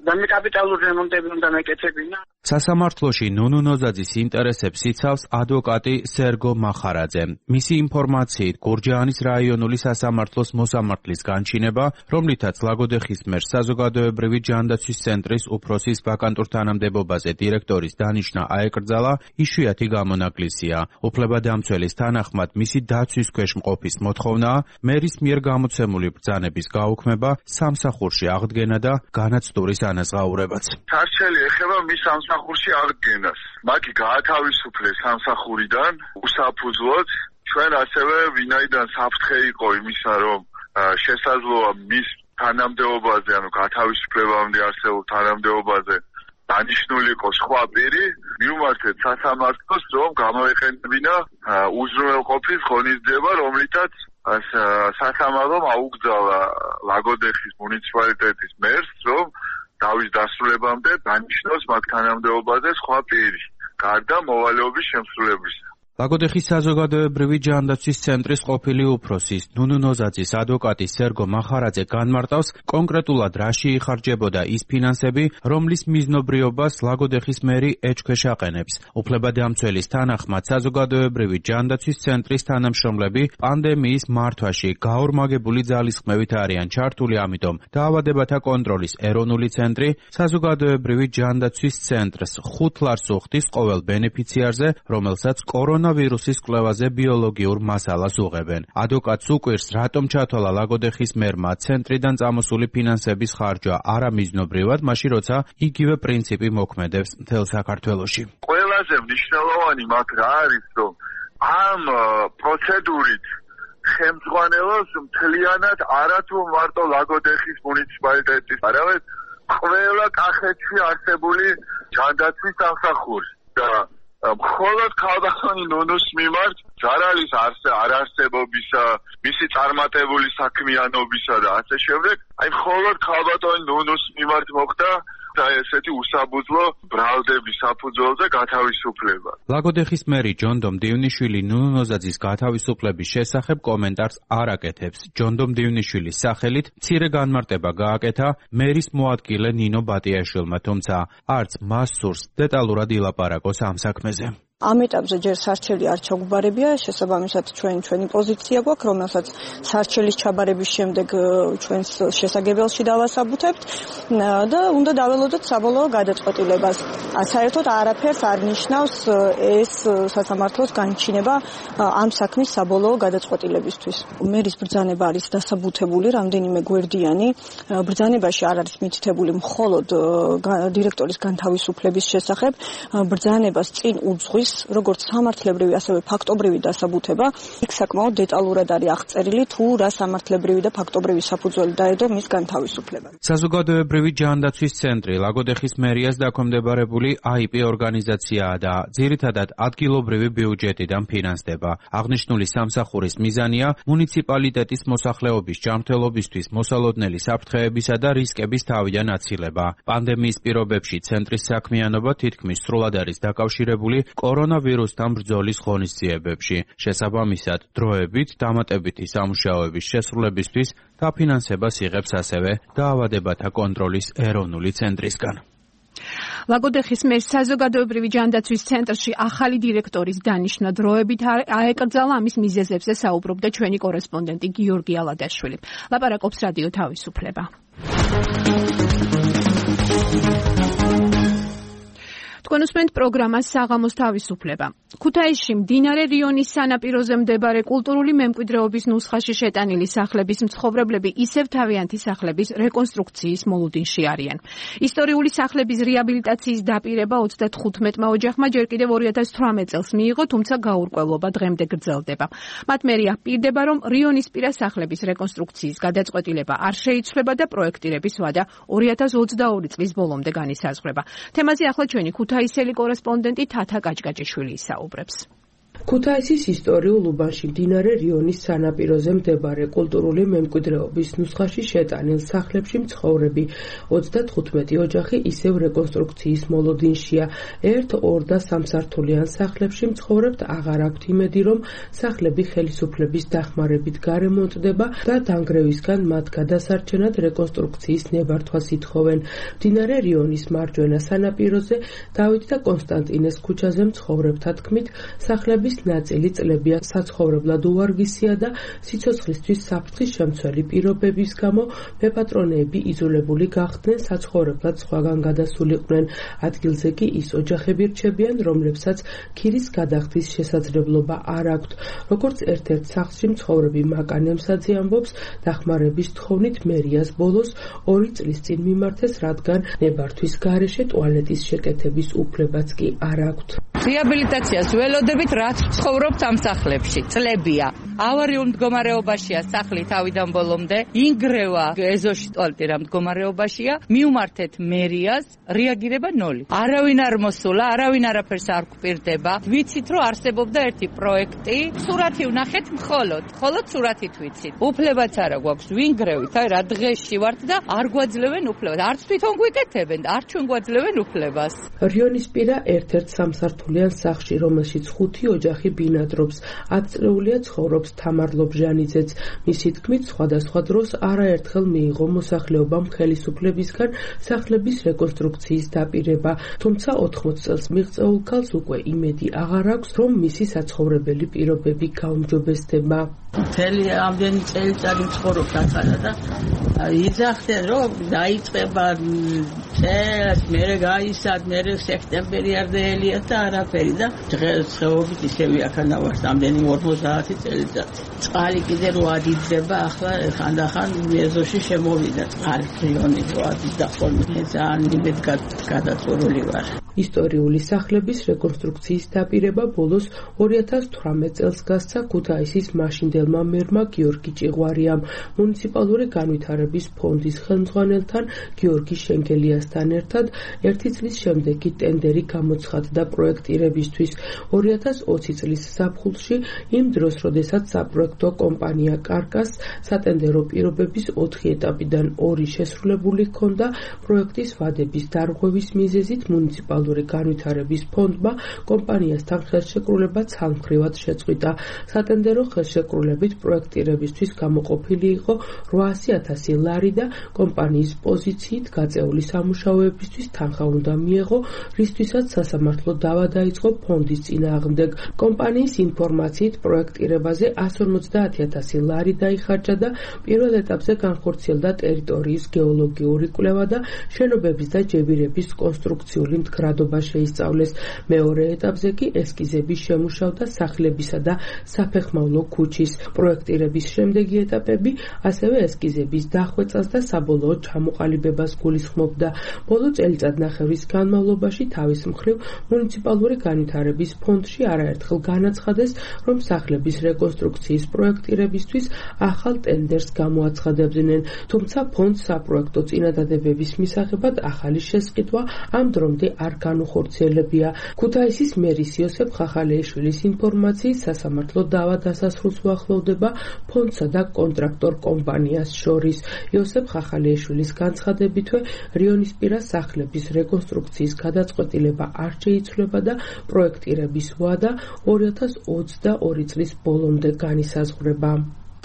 და მე კაპიტალური რემონტები უნდა მეკეთებინა სასამართლოში ნუნუ ნოზაძის ინტერესებს იცავს ადვოკატი სერგო მახარაძე. მისი ინფორმაციით, გურჯაანის რაიონული სასამართლოს მოსამართლის განჩინება, რომლითაც ლაგოდეხის მერს საზოგადოებრივი ჯანდაცვის ცენტრის უფროსის ვაკანტურ თანამდებობაზე დირექტორის დანიშვნა აეკრძალა, იშვიათი გამონაკლისია. უფლებადამცველის თანახმად, მისი დაცვის ქვეშ მყოფის მოთხოვნაა მერის მიერ გამოცემული ბრძანების გაუქმება, სამსახურში აღდგენა და განაცდურის ანაზღაურებაც. სარჩელი ეხება მის სამსახურში აღდგენას. მათი გაათავისუფლეს სამსახურიდან უსაფუძვლოდ. ჩვენ ასევე ვინაიდან საფრთხე იყო იმისა, რომ შესაძლოა მის თანამდებობაზე, ანუ გათავისუფლებამდე არსებულ თანამდებობაზე დანიშნული იყო სხვა პირი, მივმართეთ სასამართლოს, რომ გამოეყენებინა უზრუნველყოფის ღონისძიება, რომლითაც სასამართლომ აუკრძალა ლაგოდეხის მუნიციპალიტეტის მერს, რომ დავის დასრულებამდე დანიშნოს მაგ თანამდებობაზე სხვა პირი, გარდა მოვალეობის შემსრულებლისა. ლაგოდეხის საზოგადოებრივი ჯანდაცვის ცენტრის ყოფილი უფროსის ნუნუ ნოზაძის ადვოკატი სერგო მახარაძე განმარტავს კონკრეტულად რაში იხარჯებოდა ის ფინანსები, რომლის მიზნობრიობას ლაგოდეხის მერი ეჭქვეშ აყენებს. უფლებადამცველის თანახმად საზოგადოებრივი ჯანდაცვის ცენტრის თანამშრომლები პანდემიის მართვაში გაორმაგებული ძალისხმევით არიან ჩართული, ამიტომ დაავადებათა კონტროლის ეროვნული ცენტრი საზოგადოებრივი ჯანდაცვის ცენტრს ხუთ ლარს უხდის ყოველ ბენეფიციარზე, რომელსაც კორონა ვირუსის კვლევაზე ბიოლოგიურ მასალას უღებენ. ადვოკატს უკვირს, რატომ ჩათვალა ლაგოდეხის მერმა ცენტრიდან წამოსული ფინანსების ხარჯვა არამიზნობრივად, მაშინ როცა იგივე პრინციპი მოქმედებს მთელ საქართველოში. ყველაზე მნიშვნელოვანი მაგ რა არის, რომ ამ პროცედურით ხელმძღვანელობს მთლიანად არათუ მარტო ლაგოდეხის მუნიციპალიტეტის, არამედ ყველა კახეთში არსებული ჯანდაცვის სამსახური და მხოლოდ ქალბატონი ნუნუს მიმართ ჯარალის არარსებობისა, მისი წარმატებული საქმიანობისა და ასე შემდეგ, აი მხოლოდ ქალბატონი ნუნუს მიმართ მოხდა და ესეთი უსაბუძვლო ბრალდების საფუძველზე გათავისუფლება. ლაგოდეხის მერი ჯონდო მდივნიშვილი ნუნუ ნოზაძის გათავისუფლების შესახებ კომენტარს არ აკეთებს. ჯონდო მდივნიშვილის სახელით მცირე განმარტება გააკეთა მერის მოადგილე ნინო ბატიაშვილმა, თუმცა არც მას სურს დეტალურად ილაპარაკოს ამ საქმეზე. ამ ეტაპზე ჯერ სარჩელი არ ჩაგუბარებია, შესაბამისად ჩვენ ჩვენი პოზიცია გვაქვს, რომელსაც სარჩელის ჩაბარების შემდეგ ჩვენს შესაგებელში დავასაბუთებთ და უნდა დაველოდოთ საბოლოო გადაწყვეტილებას. საერთოდ არაფერს არ ნიშნავს ეს სასამართლოს განჩინება ამ საქმის საბოლოო გადაწყვეტილებისთვის. მერის ბრძანება არის დასაბუთებული რამდენიმე გვერდიანი. ბრძანებაში არ არის მითითებული მხოლოდ დირექტორის განთავისუფლების შესახებ, ბრძანებას წინ უძღვის როგორც სამართლებრივი, ასევე ფაქტობრივი დასაბუთება, იქ საკმაოდ დეტალურად არის აღწერილი თუ რა სამართლებრივი და ფაქტობრივი საფუძველი დაედო მის განთავისუფლებამ. საზოგადოებრივი ჯანდაცვის ცენტრი ლაგოდეხის მერიას დაქვემდებარებული აი პი ორგანიზაციაა და ძირითადად ადგილობრივი ბიუჯეტიდან ფინანსდება. აღნიშნული სამსახურის მიზანია მუნიციპალიტეტის მოსახლეობის ჯანმრთელობისთვის მოსალოდნელი საფრთხეებისა და რისკების თავიდან აცილება. პანდემიის პირობებში ცენტრის საქმიანობა თითქმის სრულად არის დაკავშირებული კორონავირუსთან ბრძოლის ღონისძიებებში. შესაბამისად, დროებით დამატებითი სამუშაოების შესრულებისთვის დაფინანსებას იღებს ასევე დაავადებათა კონტროლის ეროვნული ცენტრისგან. ლაგოდეხის მერს საზოგადოებრივი ჯანდაცვის ცენტრში ახალი დირექტორის დანიშვნა დროებით აეკრძალა, ამის მიზეზებზე საუბრობდა ჩვენი კორესპონდენტი გიორგი ალადაშვილი. ლაპარაკობს რადიო თავისუფლება. თქვენ უსმენთ პროგრამას საღამოს თავისუფლება. ქუთაისში მდინარე რიონის სანაპიროზე მდებარე კულტურული მემკვიდრეობის ნუსხაში შეტანილი სახლების მცხოვრებლები ისევ თავიანთი სახლების რეკონსტრუქციის მოლოდინში არიან. ისტორიული სახლების რეაბილიტაციის დაპირება ოცდათხუთმეტმა ოჯახმა ჯერ კიდევ ორი ათას თვრამეტ წელს მიიღო, თუმცა გაურკვევლობა დღემდე გრძელდება. მათ მერია პირდება, რომ რიონისპირა სახლების რეკონსტრუქციის გადაწყვეტილება არ შეიცვლება და პროექტირების ვადა ორი ათას ოცდაორი წლის ბოლომდე განისაზღვრება. თემაზე ახლა ჩვენი ქუთაისელი კორესპონდენტი თათა კაჭკაჭიშვილი ისაუბრებს. ქუთაისის ისტორიულ უბანში მდინარე რიონის სანაპიროზე მეორე კულტურული მემკვიდრეობის ნუსხაში შეტანილ სახლებში მცხოვრები ოცდათხუთმეტი ოჯახი ისევ რეკონსტრუქციის მოლოდინშია. ერთ, ორ და სამსართულიან სახლებში მცხოვრებთ აღარ აქვთ იმედი, რომ სახლები ხელისუფლების დახმარებით გარემონტდება და დანგრევისგან მათ გადასარჩენად რეკონსტრუქციის ნებართვას ითხოვენ. მდინარე რიონის მარჯვენა სანაპიროზე დავით და კონსტანტინეს ქუჩაზე მცხოვრებთა თქმით, სახლების ნაწილი წლებია საცხოვრებლად უვარგისია და სიცოცხლისთვის საფრთხის შემცველი პირობების გამო მეპატრონეები იზოლებული გახდნენ, საცხოვრებლად სხვაგან გადასულიყვნენ. ადგილზე კი ის ოჯახები რჩებიან, რომლებსაც ქირის გადახდის შესაძლებლობა არ აქვთ. როგორც ერთ-ერთ სახლში მცხოვრები მაკანემსაძე ამბობს, დახმარების თხოვნით მერიას ბოლოს ორი წლის წინ მიმართეს, რადგან ნებართვის გარეშე ტუალეტის შეკეთების უფლებაც კი არ აქვთ. რეაბილიტაციას ველოდებით, რაც ცხოვრობთ ამ სახლებში. წლებია. ავარიულ მდგომარეობაშია სახლი თავიდან ბოლომდე. ინგრევა ეზოში ტუალეტი რა მდგომარეობაშია. მიუმართეთ მერიას, რეაგირება ნოლი. არავინ არ მოსულა, არავინ არაფერს არ გვპირდება. ვიცით, რომ არსებობდა ერთი პროექტი. სურათი ვნახეთ მხოლოდ, მხოლოდ სურათით ვიცით. უფლებაც არა გვაქვს ვინგრევით, აი რა დღეში ვართ და არ გვაძლევენ უფლებას. არც თვითონ გვიკეთებენ, არ ჩვენ გვაძლევენ უფლებას. რიონისპირა ერთ-ერთ სამსართულიან სახლში, რომელშიც ხუთი ოჯახი ბინადრობს. ათწლეულია ცხოვრობს თამარ ლობჟანიძეც. მისი თქმით, სხვადასხვა დროს არაერთხელ მიიღო მოსახლეობამ ხელისუფლებისგან სახლების რეკონსტრუქციის დაპირება, თუმცა ოთხმოც წელს მიღწეულ ქალს უკვე იმედი აღარ აქვს, რომ მისი საცხოვრებელი პირობები გაუმჯობესდება. მთელი ამდენი წელიწადი ცხოვრობ ახლა და იძახდნენ, რომ დაიწყება წელს, მერე გაისად, მერე სექტემბერი არ დაელია და არაფერი და დღეს ხეობით ისევი აქანა ვარ ამდენი ორმოცდაათი წელიწადი. წყალი კიდე რო ადიდება, ახლა ხანდახან ეზოში შემოვიდა წყალი რიონი რო ადიდა ხოლმე. ძალიან იმედ გადაწყვეტილი ვარ. ისტორიული სახლების რეკონსტრუქციის დაპირება ბოლოს ორი ათას თვრამეტ წელს გასცა ქუთაისის მაშინდელმა მერმა გიორგი ჭიღვარიამ. მუნიციპალური განვითარების ფონდის ხელმძღვანელთან გიორგი შენგელიასთან ერთად ერთი წლის შემდეგ კი ტენდერი გამოცხადდა პროექტირებისთვის. ორი ათას ოცი წლის ზაფხულში, იმ დროს, როდესაც საპროექტო კომპანია კარკას სატენდერო პირობების ოთხი ეტაპიდან ორი შესრულებული ჰქონდა, პროექტის ვადების დარღვევის მიზეზით მუნიციპალური განვითარების ფონდმა კომპანიასთან ხელშეკრულება ცალმხრივად შეწყვიტა. სატენდერო ხელშეკრულებით პროექტირებისთვის გამოყოფილი იყო რვაასი ათასი ლარი და კომპანიის პოზიციით გაწეული სამუშაოებისთვის თანხა უნდა მიეღო, რისთვისაც სასამართლო დავა დაიწყო ფონდის წინააღმდეგ. კომპანიის ინფორმაციით პროექტირებაზე ასი ორმოცდაათი ათასი ლარი დაიხარჯა და პირველ ეტაპზე განხორციელდა ტერიტორიის გეოლოგიური კვლევა და შენობების და ჯებირების კონსტრუქციული მდგრადობა შეისწავლეს. მეორე ეტაპზე კი ესკიზები შემუშავდა სახლებისა და საფეხმავლო ქუჩის. პროექტირების შემდეგი ეტაპები ასევე ესკიზების დახვეწას და საბოლოო ჩამოყალიბებას გულისხმობდა. ბოლო წელიწადნახევრის განმავლობაში თავის მხრივ მუნიციპალური განვითარების ფონდში არაერთხელ განაცხადეს, რომ სახლების რეკონსტრუქციის პროექტირებისთვის ახალ ტენდერს გამოაცხადებდნენ, თუმცა ფონდს საპროექტო წინადადებების მისაღებად ახალი შესყიდვა ამ დრომდე არ განუხორციელებია. ქუთაისის მერის იოსებ ხახალეიშვილის ინფორმაციით სასამართლო დავა დასასრულს უახლოვდება ფონდსა და კონტრაქტორ კომპანიას შორის. იოსებ ხახალეიშვილის განცხადებითვე რიონისპირა სახლების რეკონსტრუქციის გადაწყვეტილება არ შეიცვლება და პროექტირების ვადა ორი ათას ოცდაორი წლის ბოლომდე განისაზღვრება.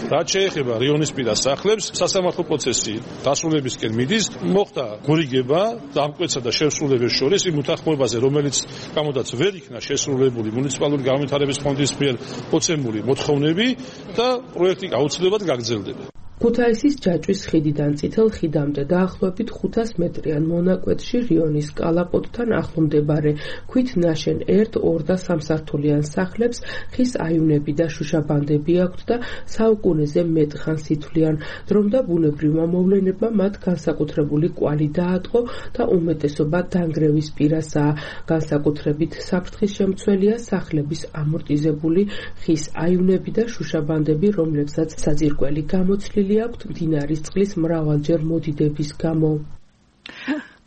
რაც შეეხება რიონისპირა სახლებს, სასამართლო პროცესი დასრულებისკენ მიდის, მოხდა გორიგება დამკვეთსა და შესრულების შორის იმ უთანხმოებაზე, რომელიც გამოდაც ვერ იქნა შესრულებული მუნიციპალური განვითარების ფონდის მიერ მოცემული მოთხოვნები და პროექტი აუცილებლად გაგრძელდება. ქუთაისის ჯაჭვის ხიდიდან წითელ ხიდამდე დაახლოებით ხუთას მეტრიან მონაკვეთში რიონის კალაპოტთან ახლო მდებარე ქვით ნაშენ ერთ, ორ და სამსართულიან სახლებს ხის აივნები და შუშაბანდები აქვთ და საუკუნეზე მეტ ხანს ითვლიან. დრომ და ბუნებრივმა მოვლენებმა მათ განსაკუთრებული კვალი დაატყო და უმეტესობა დანგრევის პირასაა. განსაკუთრებით საფრთხის შემცველია სახლების ამორტიზებული ხის აივნები და შუშაბანდები, რომლებსაც საძირკველი გამოცლილი აქვთ მდინარის წყლის მრავალჯერ მოდიდების გამო.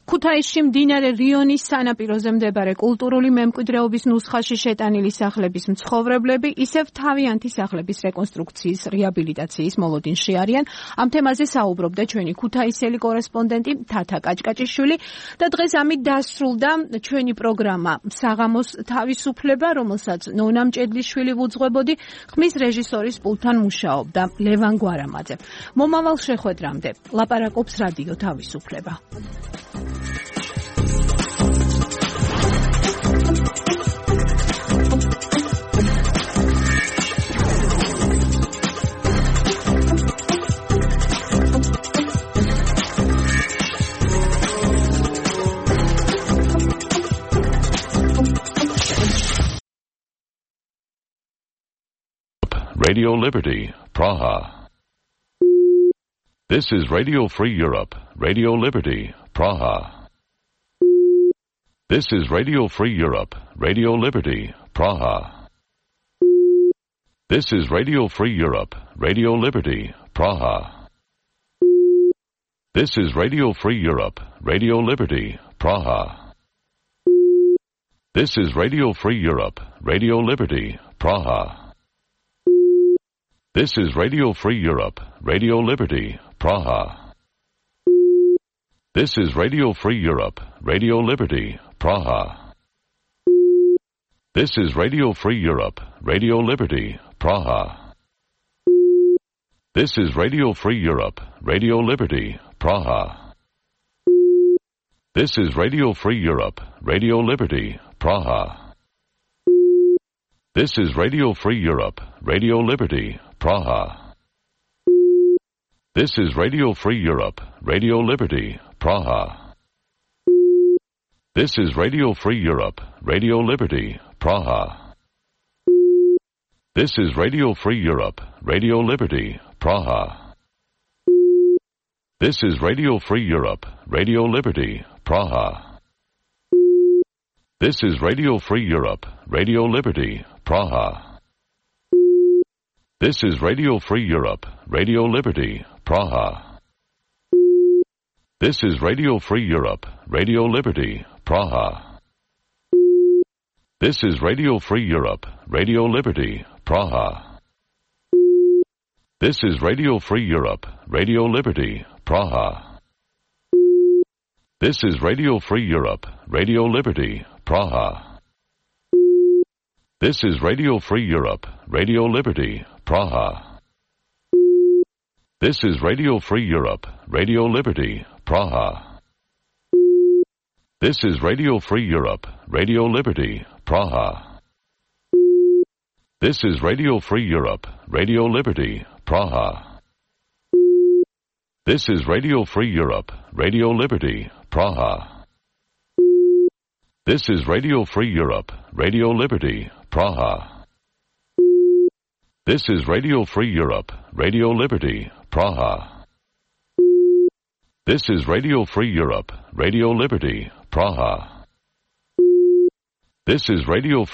ქუთაისში მდინარე რიონის სანაპიროზე მდებარე კულტურული მემკვიდრეობის ნუსხაში შეტანილი სახლების მცხოვრებლები ისევ თავიანთი სახლების რეკონსტრუქციის რეაბილიტაციის მოლოდინში არიან. ამ თემაზე საუბრობდა ჩვენი ქუთაისელი კორესპონდენტი თათა კაჭკაჭიშვილი და დღეს ამით დასრულდა ჩვენი პროგრამა საღამოს თავისუფლება, რომელსაც ნონა მჭედლიშვილი ვუძღვებოდი, ხმის რეჟისორის პულტთან მუშაობდა ლევან გვარამაძე. მომავალ შეხვედრამდე ლაპარაკობს რადიო თავისუფლება. Radio Liberty, Praha. This is Radio Free Europe, Radio Liberty, Praha. This is Radio Free Europe, Radio Liberty, Praha. This is Radio Free Europe, Radio Liberty, Praha. This is Radio Free Europe, Radio Liberty, Praha. This is Radio Free Europe, Radio Liberty, Praha. This is Radio Free Europe, Radio Liberty, Praha. This is Radio Free Europe, Radio Liberty, Praha. This is Radio Free Europe, Radio Liberty, Praha. This is Radio Free Europe, Radio Liberty, Praha. This is Radio Free Europe, Radio Liberty, Praha. This is Radio Free Europe, Radio Liberty, Praha. This is Radio Free Europe, Radio Liberty, Praha. This is Radio Free Europe, Radio Liberty, Praha. This is Radio Free Europe, Radio Liberty, Praha. This is Radio Free Europe, Radio Liberty, Praha. This is Radio Free Europe, Radio Liberty, Praha. This is Radio Free Europe, Radio Liberty, Praha. This is Radio Free Europe, Radio Liberty, Praha. This is Radio Free Europe, Radio Liberty, Praha. This is Radio Free Europe, Radio Liberty, Praha. This is Radio Free Europe, Radio Liberty, Praha. This is Radio Free Europe, Radio Liberty, Praha. This is Radio Free Europe, Radio Liberty, Praha. This is Radio Free Europe, Radio Liberty, Praha. This is Radio Free Europe, Radio Liberty, Praha. This is Radio Free Europe, Radio Liberty, Praha. This is Radio Free Europe, Radio Liberty, Praha. This is Radio Free Europe, Radio Liberty, Praha. This is Radio Free Europe, Radio Liberty, Praha. This is Radio Free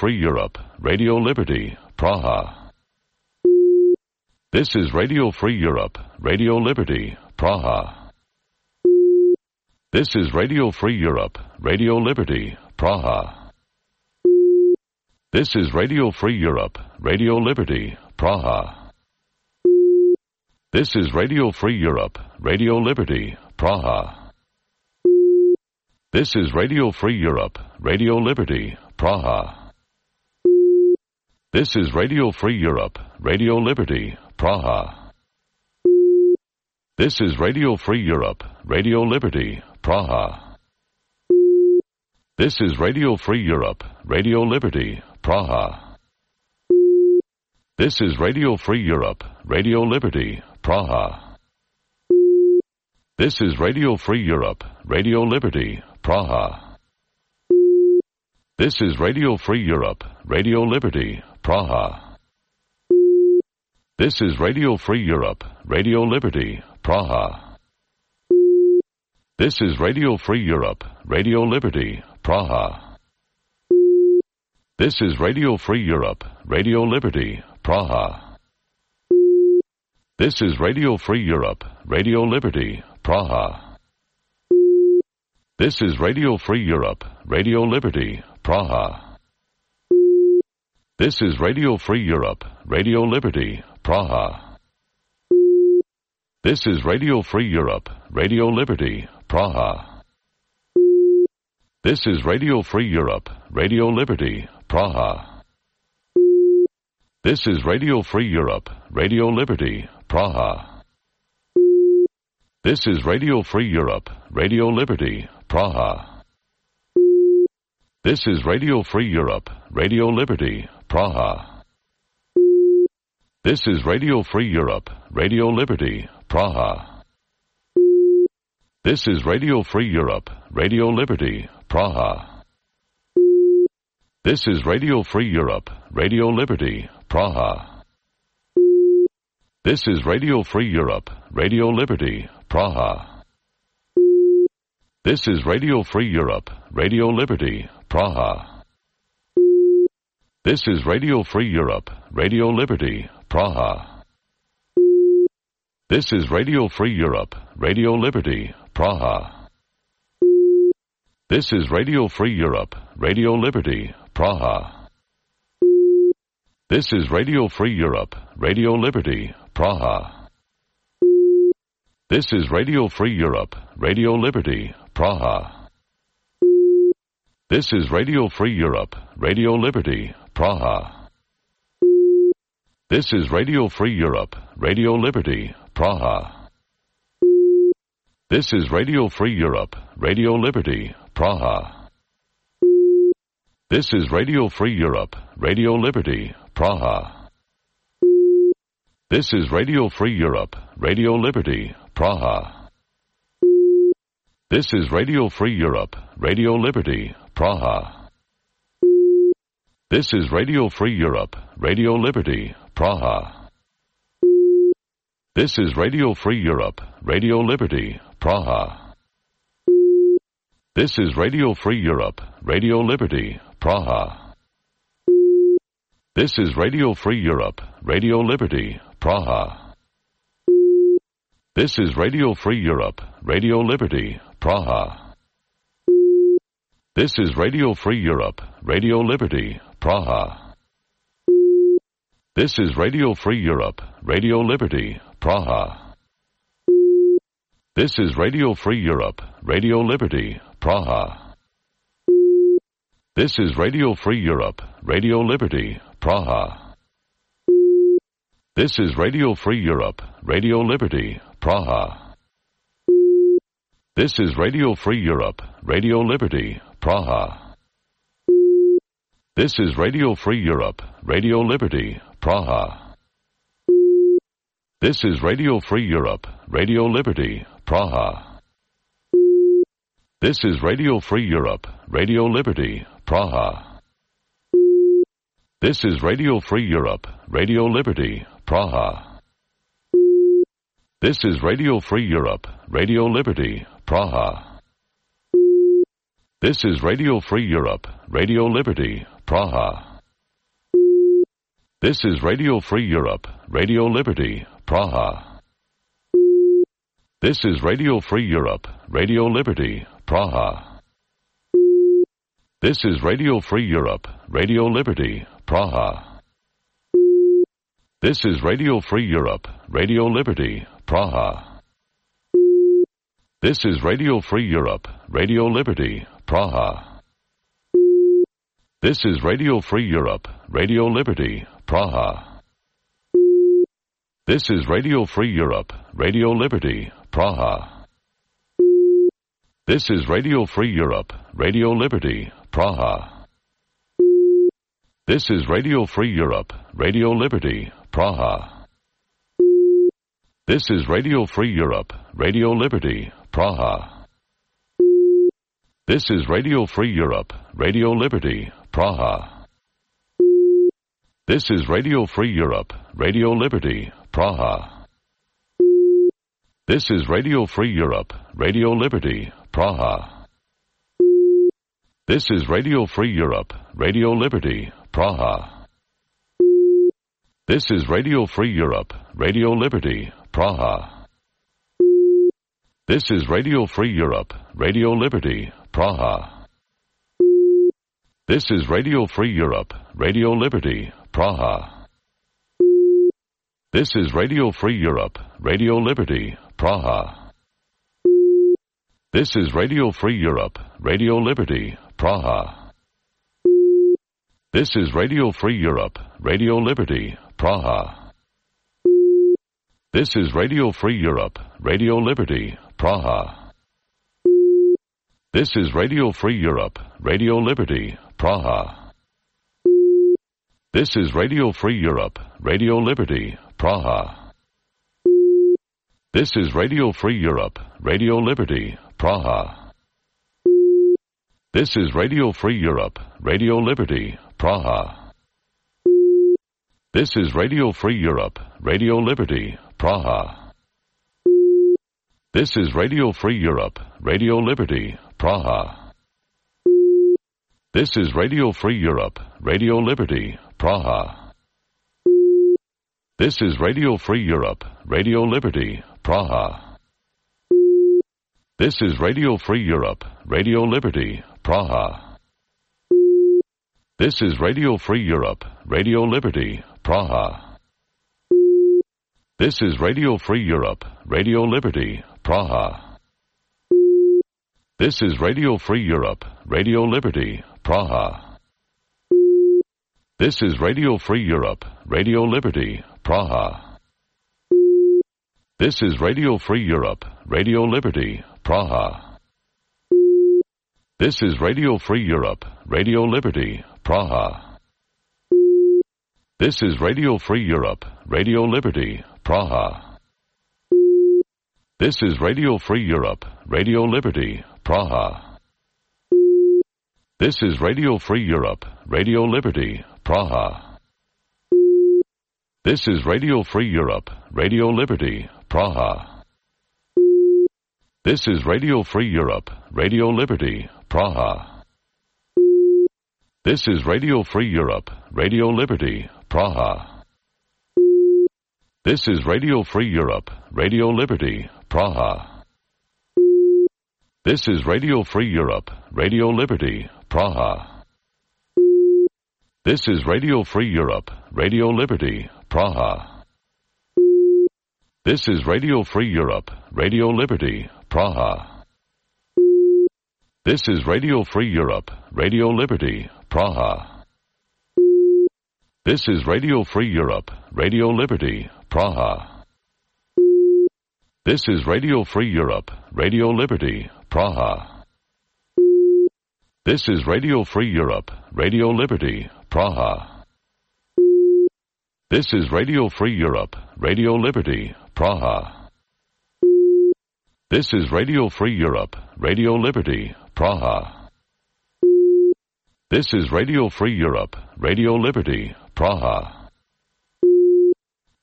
Europe, Radio Liberty, Praha. This is Radio Free Europe, Radio Liberty, Praha. This is Radio Free Europe, Radio Liberty, Praha. This is Radio Free Europe, Radio Liberty, Praha. This is Radio Free Europe, Radio Liberty, Praha. This is Radio Free Europe, Radio Liberty, Praha. This is Radio Free Europe, Radio Liberty, Praha. This is Radio Free Europe, Radio Liberty, Praha. This is Radio Free Europe, Radio Liberty, Praha. This is Radio Free Europe, Radio Liberty, Praha. This is Radio Free Europe, Radio Liberty, Praha. This is Radio Free Europe, Radio Liberty, Praha. This is Radio Free Europe, Radio Liberty, Praha. This is Radio Free Europe, Radio Liberty, Praha. This is Radio Free Europe, Radio Liberty, Praha. This is Radio Free Europe, Radio Liberty, Praha. This is Radio Free Europe, Radio Liberty, Praha. This is Radio Free Europe, Radio Liberty, Praha. This is Radio Free Europe, Radio Liberty, Praha. This is Radio Free Europe, Radio Liberty, Praha. This is Radio Free Europe, Radio Liberty, Praha. This is Radio Free Europe, Radio Liberty, Praha. This is Radio Free Europe, Radio Liberty, Praha. This is Radio Free Europe, Radio Liberty, Praha. This is Radio Free Europe, Radio Liberty, Praha. This is Radio Free Europe, Radio Liberty, Praha. This is Radio Free Europe, Radio Liberty, Praha. This is Radio Free Europe, Radio Liberty, Praha. This is Radio Free Europe, Radio Liberty, Praha. This is Radio Free Europe, Radio Liberty, Praha. This is Radio Free Europe, Radio Liberty, Praha. This is Radio Free Europe, Radio Liberty, Praha. This is Radio Free Europe, Radio Liberty, Praha. This is Radio Free Europe, Radio Liberty, Praha. This is Radio Free Europe, Radio Liberty, Praha. This is Radio Free Europe, Radio Liberty, Praha. This is Radio Free Europe, Radio Liberty, Praha. This is Radio Free Europe, Radio Liberty, Praha. This is Radio Free Europe, Radio Liberty, Praha. This is Radio Free Europe, Radio Liberty, Praha. This is Radio Free Europe, Radio Liberty, Praha. This is Radio Free Europe, Radio Liberty, Praha. This is Radio Free Europe, Radio Liberty, Praha. This is Radio Free Europe, Radio Liberty, Praha. This is Radio Free Europe, Radio Liberty, Praha. This is Radio Free Europe, Radio Liberty, Praha. This is Radio Free Europe, Radio Liberty, Praha. This is Radio Free Europe, Radio Liberty, Praha. This is Radio Free Europe, Radio Liberty, Praha. This is Radio Free Europe, Radio Liberty, Praha. This is Radio Free Europe, Radio Liberty, Praha. This is Radio Free Europe, Radio Liberty, Praha. This is Radio Free Europe, Radio Liberty, Praha. This is Radio Free Europe, Radio Liberty, Praha. This is Radio Free Europe, Radio Liberty, Praha. This is Radio Free Europe, Radio Liberty, Praha. This is Radio Free Europe, Radio Liberty, Praha. This is Radio Free Europe, Radio Liberty, Praha. This is Radio Free Europe, Radio Liberty, Praha. This is Radio Free Europe, Radio Liberty, Praha. This is Radio Free Europe, Radio Liberty, Praha. This is Radio Free Europe, Radio Liberty, Praha. This is Radio Free Europe, Radio Liberty, Praha. This is Radio Free Europe, Radio Liberty, Praha. This is Radio Free Europe, Radio Liberty, Praha. This is Radio Free Europe, Radio Liberty, Praha. This is Radio Free Europe, Radio Liberty, Praha. This is Radio Free Europe, Radio Liberty, Praha. This is Radio Free Europe, Radio Liberty, Praha. This is Radio Free Europe, Radio Liberty, Praha. This is Radio Free Europe, Radio Liberty, Praha. This is Radio Free Europe, Radio Liberty, Praha. This is Radio Free Europe, Radio Liberty, Praha. This is Radio Free Europe, Radio Liberty, Praha. This is Radio Free Europe, Radio Liberty, Praha. This is Radio Free Europe, Radio Liberty, Praha. This is Radio Free Europe, Radio Liberty, Praha. This is Radio Free Europe, Radio Liberty, Praha. This is Radio Free Europe, Radio Liberty, Praha. This is Radio Free Europe, Radio Liberty, Praha. This is Radio Free Europe, Radio Liberty, Praha. This is Radio Free Europe, Radio Liberty, Praha. This is Radio Free Europe, Radio Liberty, Praha. This is Radio Free Europe, Radio Liberty, Praha. This is Radio Free Europe, Radio Liberty, Praha. This is Radio Free Europe, Radio Liberty, Praha. This is Radio Free Europe, Radio Liberty, Praha. This is Radio Free Europe, Radio Liberty, Praha. This is Radio Free Europe, Radio Liberty, Praha. This is Radio Free Europe, Radio Liberty, Praha. This is Radio Free Europe, Radio Liberty, Praha. This is Radio Free Europe, Radio Liberty, Praha. This is Radio Free Europe, Radio Liberty, Praha. This is Radio Free Europe, Radio Liberty, Praha. This is Radio Free Europe, Radio Liberty, Praha. This is Radio Free Europe, Radio Liberty, Praha. This is Radio Free Europe, Radio Liberty, Praha. This is Radio Free Europe, Radio Liberty, Praha. This is Radio Free Europe, Radio Liberty, Praha. This is Radio Free Europe, Radio Liberty, Praha. This is Radio Free Europe, Radio Liberty, Praha. This is Radio Free Europe, Radio Liberty, Praha. This is Radio Free Europe, Radio Liberty, Praha. This is Radio Free Europe, Radio Liberty, Praha. This is Radio Free Europe, Radio Liberty, Praha. This is Radio Free Europe, Radio Liberty, Praha. This is Radio Free Europe, Radio Liberty, Praha. This is Radio Free Europe, Radio Liberty, Praha. This is Radio Free Europe, Radio Liberty, Praha.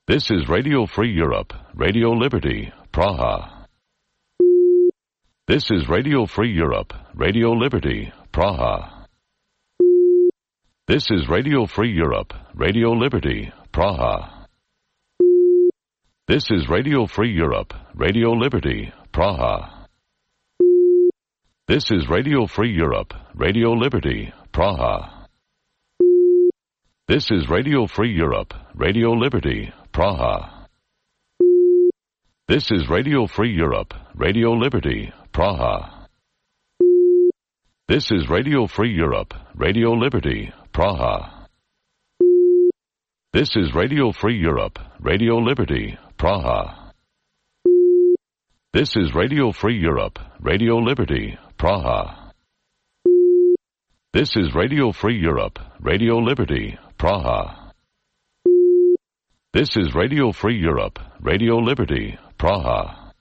This is Radio Free Europe, Radio Liberty, Praha. This is Radio Free Europe, Radio Liberty, Praha. This is Radio Free Europe, Radio Liberty, Praha. This is Radio Free Europe, Radio Liberty, Praha. This is Radio Free Europe, Radio Liberty, Praha. This is Radio Free Europe, Radio Liberty, Praha. This is Radio Free Europe, Radio Liberty, Praha. This is Radio Free Europe, Radio Liberty, Praha. This is Radio Free Europe, Radio Liberty, Praha. This is Radio Free Europe, Radio Liberty, Praha. This is Radio Free Europe, Radio Liberty, Praha. This is Radio Free Europe, Radio Liberty, Praha.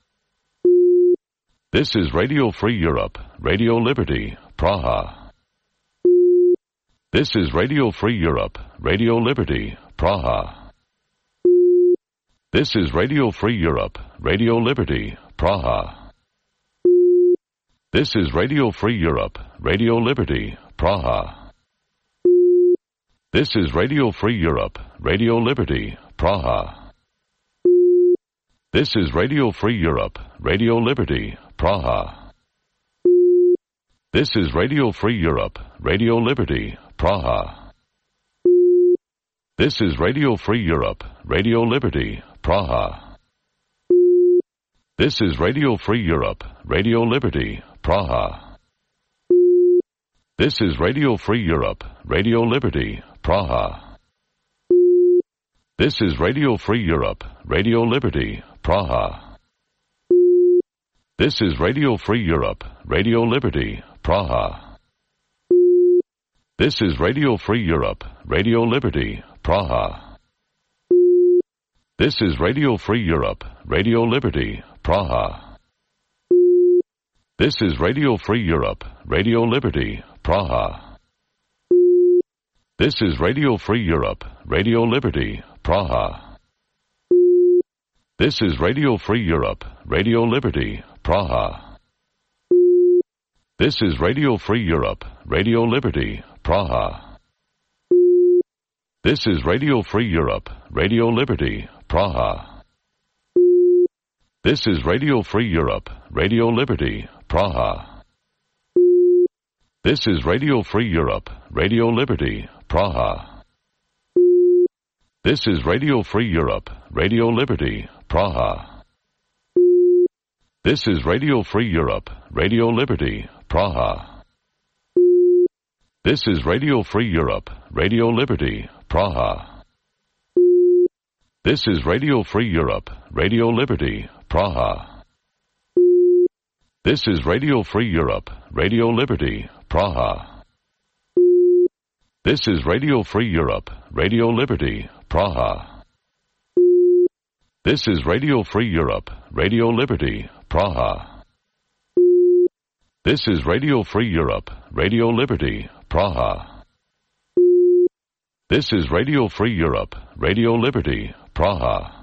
This is Radio Free Europe, Radio Liberty, Praha. This is Radio Free Europe, Radio Liberty, Praha. This is Radio Free Europe, Radio Liberty, Praha. This is Radio Free Europe, Radio Liberty, Praha. This is Radio Free Europe, Radio Liberty, Praha. This is Radio Free Europe, Radio Liberty, Praha. This is Radio Free Europe, Radio Liberty, Praha. This is Radio Free Europe, Radio Liberty, Praha. This is Radio Free Europe, Radio Liberty, Praha. This is Radio Free Europe, Radio Liberty, Praha. This is Radio Free Europe, Radio Liberty, Praha. This is Radio Free Europe, Radio Liberty, Praha. This is Radio Free Europe, Radio Liberty, Praha. This is Radio Free Europe, Radio Liberty, Praha. This is Radio Free Europe, Radio Liberty, Praha. This is Radio Free Europe, Radio Liberty, Praha. This is Radio Free Europe, Radio Liberty, Praha. This is Radio Free Europe, Radio Liberty, Praha. This is Radio Free Europe, Radio Liberty, Praha. This is Radio Free Europe, Radio Liberty, Praha. This is Radio Free Europe, Radio Liberty, Praha. This is Radio Free Europe, Radio Liberty, Praha. This is Radio Free Europe, Radio Liberty, Praha. This is Radio Free Europe, Radio Liberty, Praha. This is Radio Free Europe, Radio Liberty, Praha. This is Radio Free Europe, Radio Liberty, Praha. This is Radio Free Europe, Radio Liberty, Praha. This is Radio Free Europe, Radio Liberty, Praha. This is Radio Free Europe, Radio Liberty, Praha. This is Radio Free Europe, Radio Liberty, Praha.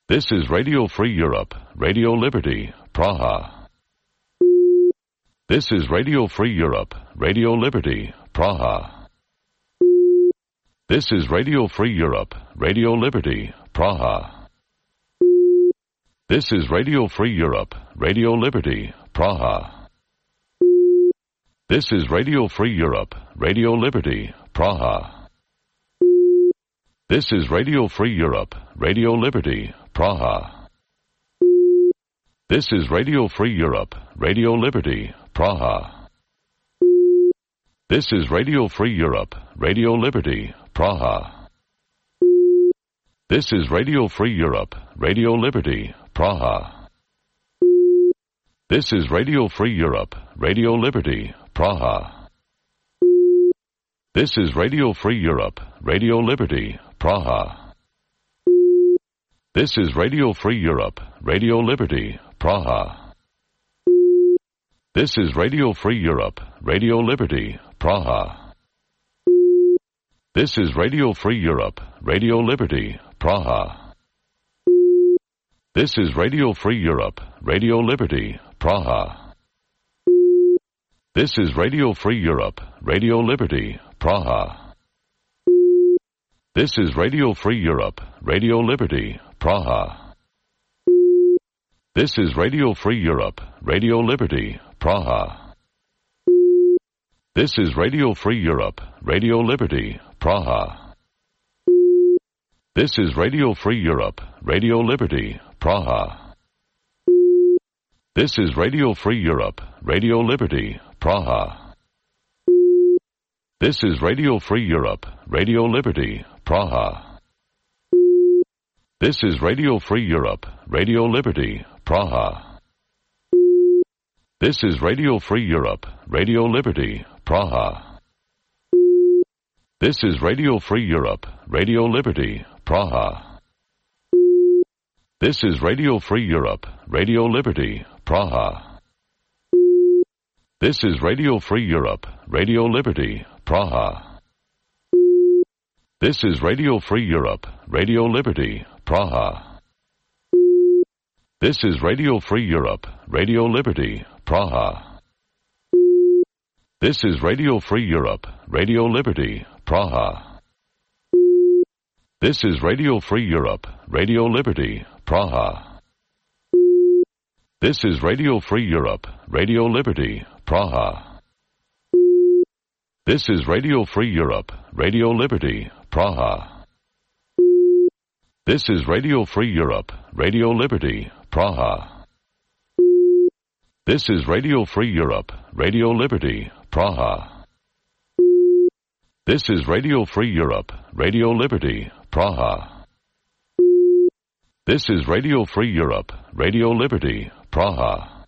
This is Radio Free Europe, Radio Liberty, Praha. This is Radio Free Europe, Radio Liberty, Praha. This is Radio Free Europe, Radio Liberty, Praha. This is Radio Free Europe, Radio Liberty, Praha. This is Radio Free Europe, Radio Liberty, Praha. This is Radio Free Europe, Radio Liberty, Praha. This is Radio Free Europe, Radio Liberty, Praha. This is Radio Free Europe, Radio Liberty, Praha. This is Radio Free Europe, Radio Liberty, Praha. This is Radio Free Europe, Radio Liberty, Praha. This is Radio Free Europe, Radio Liberty, Praha. This is Radio Free Europe, Radio Liberty, Praha. This is Radio Free Europe, Radio Liberty, Praha. This is Radio Free Europe, Radio Liberty, Praha. This is Radio Free Europe, Radio Liberty, Praha. This is Radio Free Europe, Radio Liberty, Praha. This is Radio Free Europe, Radio Liberty, Praha. This is Radio Free Europe, Radio Liberty, Praha. This is Radio Free Europe, Radio Liberty, Praha. This is Radio Free Europe, Radio Liberty, Praha. This is Radio Free Europe, Radio Liberty, Praha. This is Radio Free Europe, Radio Liberty, Praha. This is Radio Free Europe, Radio Liberty, Praha. This is Radio Free Europe, Radio Liberty, Praha. This is Radio Free Europe, Radio Liberty, Praha. This is Radio Free Europe, Radio Liberty, Praha. This is Radio Free Europe, Radio Liberty, Praha. This is Radio Free Europe, Radio Liberty, Praha. This is Radio Free Europe, Radio Liberty, Praha. This is Radio Free Europe, Radio Liberty, Praha. This is Radio Free Europe, Radio Liberty, Praha. This is Radio Free Europe, Radio Liberty, Praha. This is Radio Free Europe, Radio Liberty, Praha. This is Radio Free Europe, Radio Liberty, Praha. This is Radio Free Europe, Radio Liberty, Praha. This is Radio Free Europe, Radio Liberty, Praha. This is Radio Free Europe, Radio Liberty, Praha.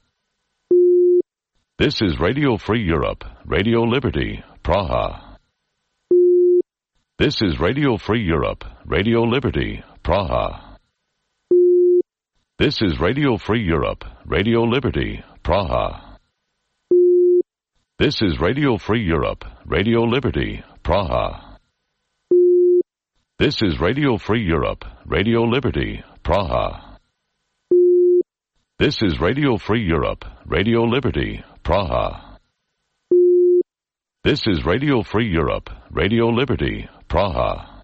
This is Radio Free Europe, Radio Liberty, Praha. This is Radio Free Europe, Radio Liberty, Praha. This is Radio Free Europe, Radio Liberty, Praha. This is Radio Free Europe, Radio Liberty, Praha. This is Radio Free Europe, Radio Liberty, Praha. This is Radio Free Europe, Radio Liberty, Praha. This is Radio Free Europe, Radio Liberty, Praha.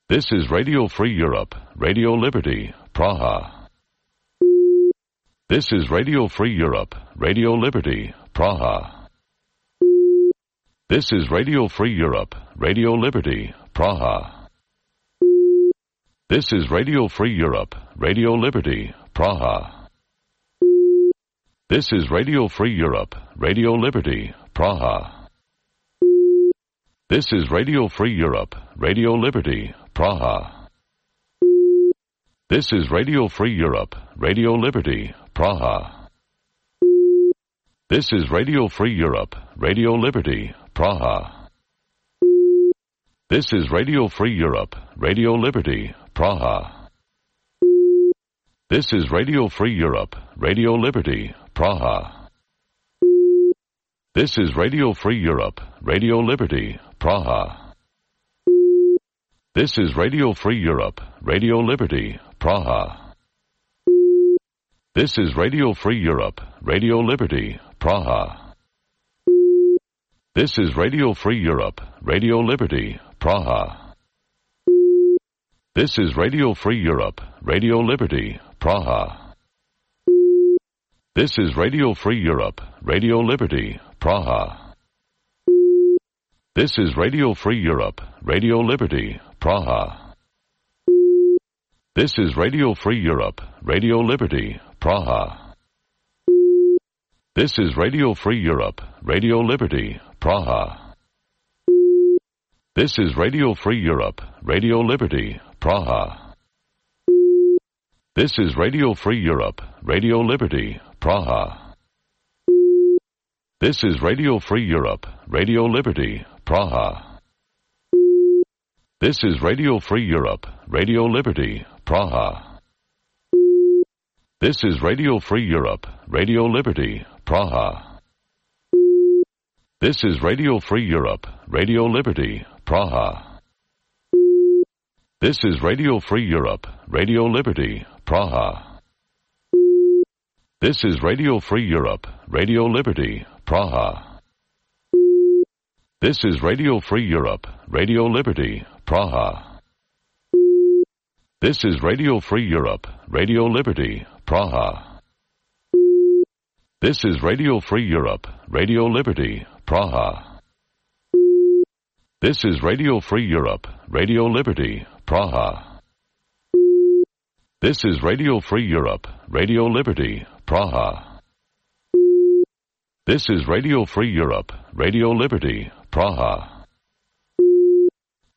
This is Radio Free Europe, Radio Liberty, Praha. This is Radio Free Europe, Radio Liberty, Praha. This is Radio Free Europe, Radio Liberty, Praha. This is Radio Free Europe, Radio Liberty, Praha. This is Radio Free Europe, Radio Liberty, Praha. This is Radio Free Europe, Radio Liberty, Praha. This is Radio Free Europe, Radio Liberty, Praha. This is Radio Free Europe, Radio Liberty, Praha. This is Radio Free Europe, Radio Liberty, Praha. This is Radio Free Europe, Radio Liberty, Praha. This is Radio Free Europe, Radio Liberty, Praha. This is Radio Free Europe, Radio Liberty, Praha. This is Radio Free Europe, Radio Liberty, Praha. This is Radio Free Europe, Radio Liberty, Praha. This is Radio Free Europe, Radio Liberty, Praha. This is Radio Free Europe, Radio Liberty, Praha. This is Radio Free Europe, Radio Liberty, Praha. This is Radio Free Europe, Radio Liberty, Praha. This is Radio Free Europe, Radio Liberty, Praha. This is Radio Free Europe, Radio Liberty, Praha. This is Radio Free Europe, Radio Liberty, Praha. This is Radio Free Europe, Radio Liberty, Praha. This is Radio Free Europe, Radio Liberty, Praha. This is Radio Free Europe, Radio Liberty, Praha. This is Radio Free Europe, Radio Liberty, Praha. This is Radio Free Europe, Radio Liberty, Praha. This is Radio Free Europe, Radio Liberty, Praha. This is Radio Free Europe, Radio Liberty, Praha. This is Radio Free Europe, Radio Liberty, Praha. This is Radio Free Europe, Radio Liberty, Praha. This is Radio Free Europe, Radio Liberty, Praha. This is Radio Free Europe, Radio Liberty, Praha. This is Radio Free Europe, Radio Liberty, Praha.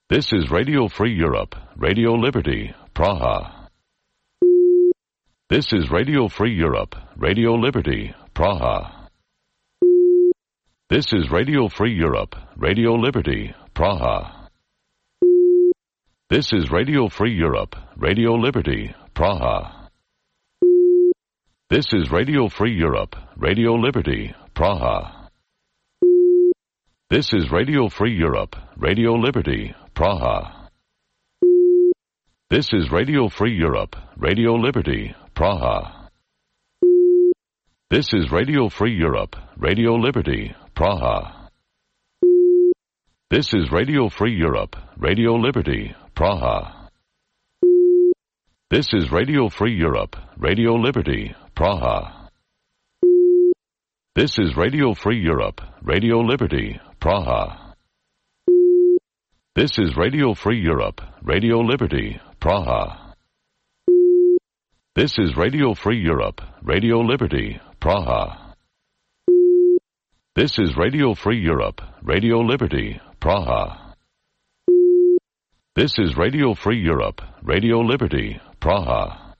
This is Radio Free Europe, Radio Liberty, Praha. This is Radio Free Europe, Radio Liberty, Praha. This is Radio Free Europe, Radio Liberty, Praha. This is Radio Free Europe, Radio Liberty, Praha. This is Radio Free Europe, Radio Liberty, Praha. This is Radio Free Europe, Radio Liberty, Praha. This is Radio Free Europe, Radio Liberty, Praha. This is Radio Free Europe, Radio Liberty, Praha. This is Radio Free Europe, Radio Liberty, Praha. This is Radio Free Europe, Radio Liberty, Praha. This is Radio Free Europe, Radio Liberty, Praha. This is Radio Free Europe, Radio Liberty, Praha. This is Radio Free Europe, Radio Liberty, Praha. This is Radio Free Europe, Radio Liberty, Praha. This is Radio Free Europe, Radio Liberty, Praha.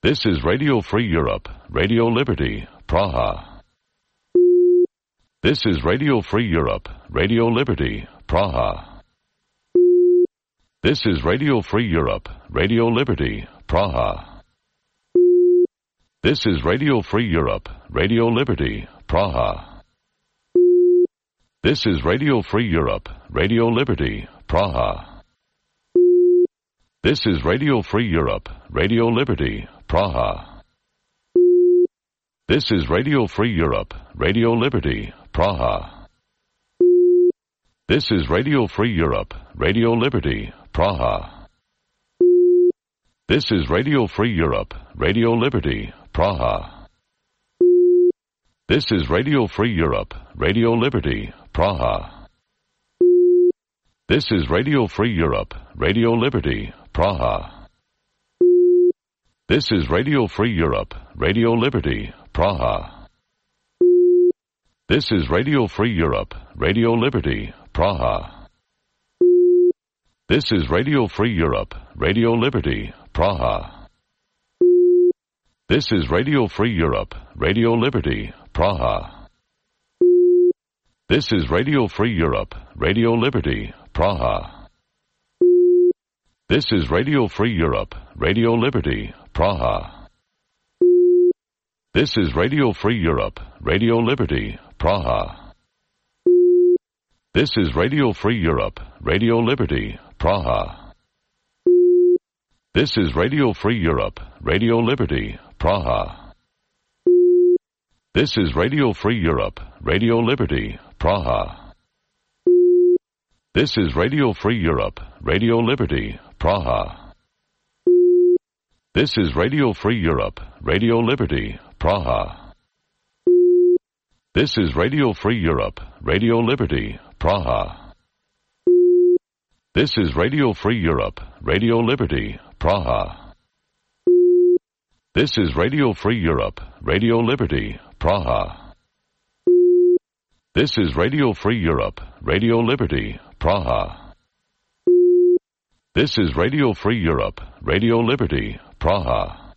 This is Radio Free Europe, Radio Liberty, Praha. This is Radio Free Europe, Radio Liberty, Praha. This is Radio Free Europe, Radio Liberty, Praha. This is Radio Free Europe, Radio Liberty, Praha. This is Radio Free Europe, Radio Liberty, Praha. This is Radio Free Europe, Radio Liberty, Praha. This is Radio Free Europe, Radio Liberty, Praha. This is Radio Free Europe, Radio Liberty, Praha. This is Radio Free Europe, Radio Liberty, Praha. This is Radio Free Europe, Radio Liberty, Praha. This is Radio Free Europe, Radio Liberty, Praha. This is Radio Free Europe, Radio Liberty, Praha. This is Radio Free Europe, Radio Liberty, Praha. This is Radio Free Europe, Radio Liberty, Praha. This is Radio Free Europe, Radio Liberty, Praha. This is Radio Free Europe, Radio Liberty, Praha. This is Radio Free Europe, Radio Liberty, Praha. This is Radio Free Europe, Radio Liberty, Praha. This is Radio Free Europe, Radio Liberty, Praha. This is Radio Free Europe, Radio Liberty, Praha. This is Radio Free Europe, Radio Liberty, Praha. This is Radio Free Europe, Radio Liberty, Praha. This is Radio Free Europe, Radio Liberty, Praha. This is Radio Free Europe, Radio Liberty, Praha. This is Radio Free Europe, Radio Liberty, Praha. This is Radio Free Europe, Radio Liberty, Praha. This is Radio Free Europe, Radio Liberty, Praha. This is Radio Free Europe, Radio Liberty, Praha.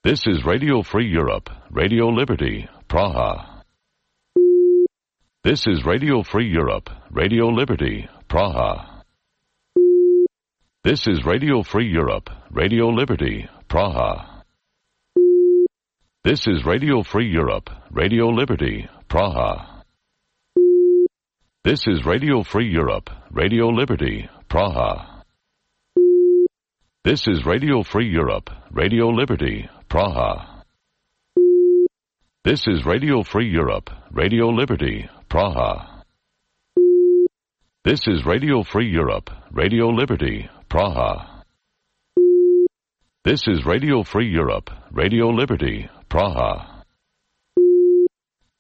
This is Radio Free Europe, Radio Liberty, Praha. This is Radio Free Europe, Radio Liberty, Praha. This is Radio Free Europe, Radio Liberty, Praha. This is Radio Free Europe, Radio Liberty, Praha. This is Radio Free Europe, Radio Liberty, Praha. This is Radio Free Europe, Radio Liberty, Praha. This is Radio Free Europe, Radio Liberty, Praha. This is Radio Free Europe, Radio Liberty, Praha. This is Radio Free Europe, Radio Liberty, Praha.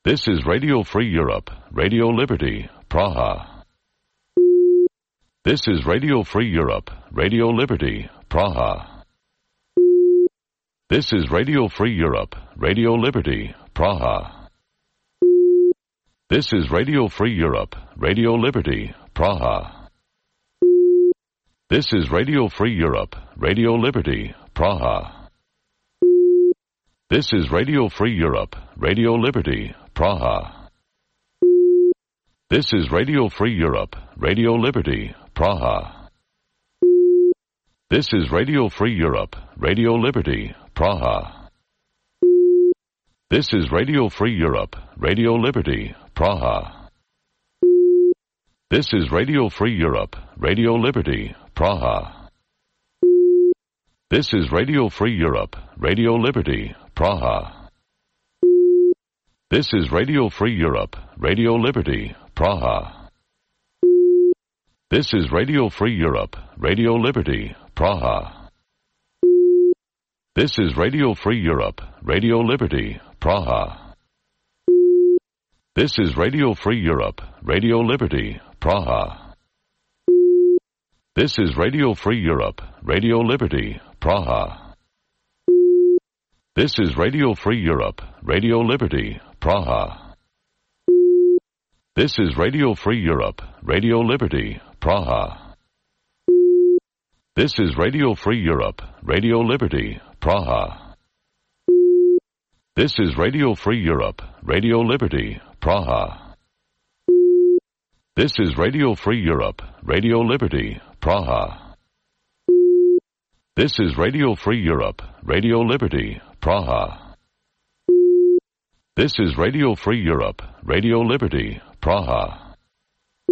This is Radio Free Europe, Radio Liberty, Praha. This is Radio Free Europe, Radio Liberty, Praha. This is Radio Free Europe, Radio Liberty, Praha. This is Radio Free Europe, Radio Liberty, Praha. This is Radio Free Europe, Radio Liberty, Praha. This is Radio Free Europe, Radio Liberty, Praha. This is Radio Free Europe, Radio Liberty, Praha. This is Radio Free Europe, Radio Liberty, Praha. This is Radio Free Europe, Radio Liberty, Praha. This is Radio Free Europe, Radio Liberty, Praha. This is Radio Free Europe, Radio Liberty, Praha. This is Radio Free Europe, Radio Liberty, Praha. This is Radio Free Europe, Radio Liberty, Praha. This is Radio Free Europe, Radio Liberty, Praha. This is Radio Free Europe, Radio Liberty, Praha. This is Radio Free Europe, Radio Liberty, Praha. This is Radio Free Europe, Radio Liberty, Praha. This is Radio Free Europe, Radio Liberty, Praha. This is Radio Free Europe, Radio Liberty, Praha. This is Radio Free Europe, Radio Liberty, Praha. This is Radio Free Europe, Radio Liberty, Praha. This is Radio Free Europe, Radio Liberty, Praha. This is Radio Free Europe, Radio Liberty, Praha.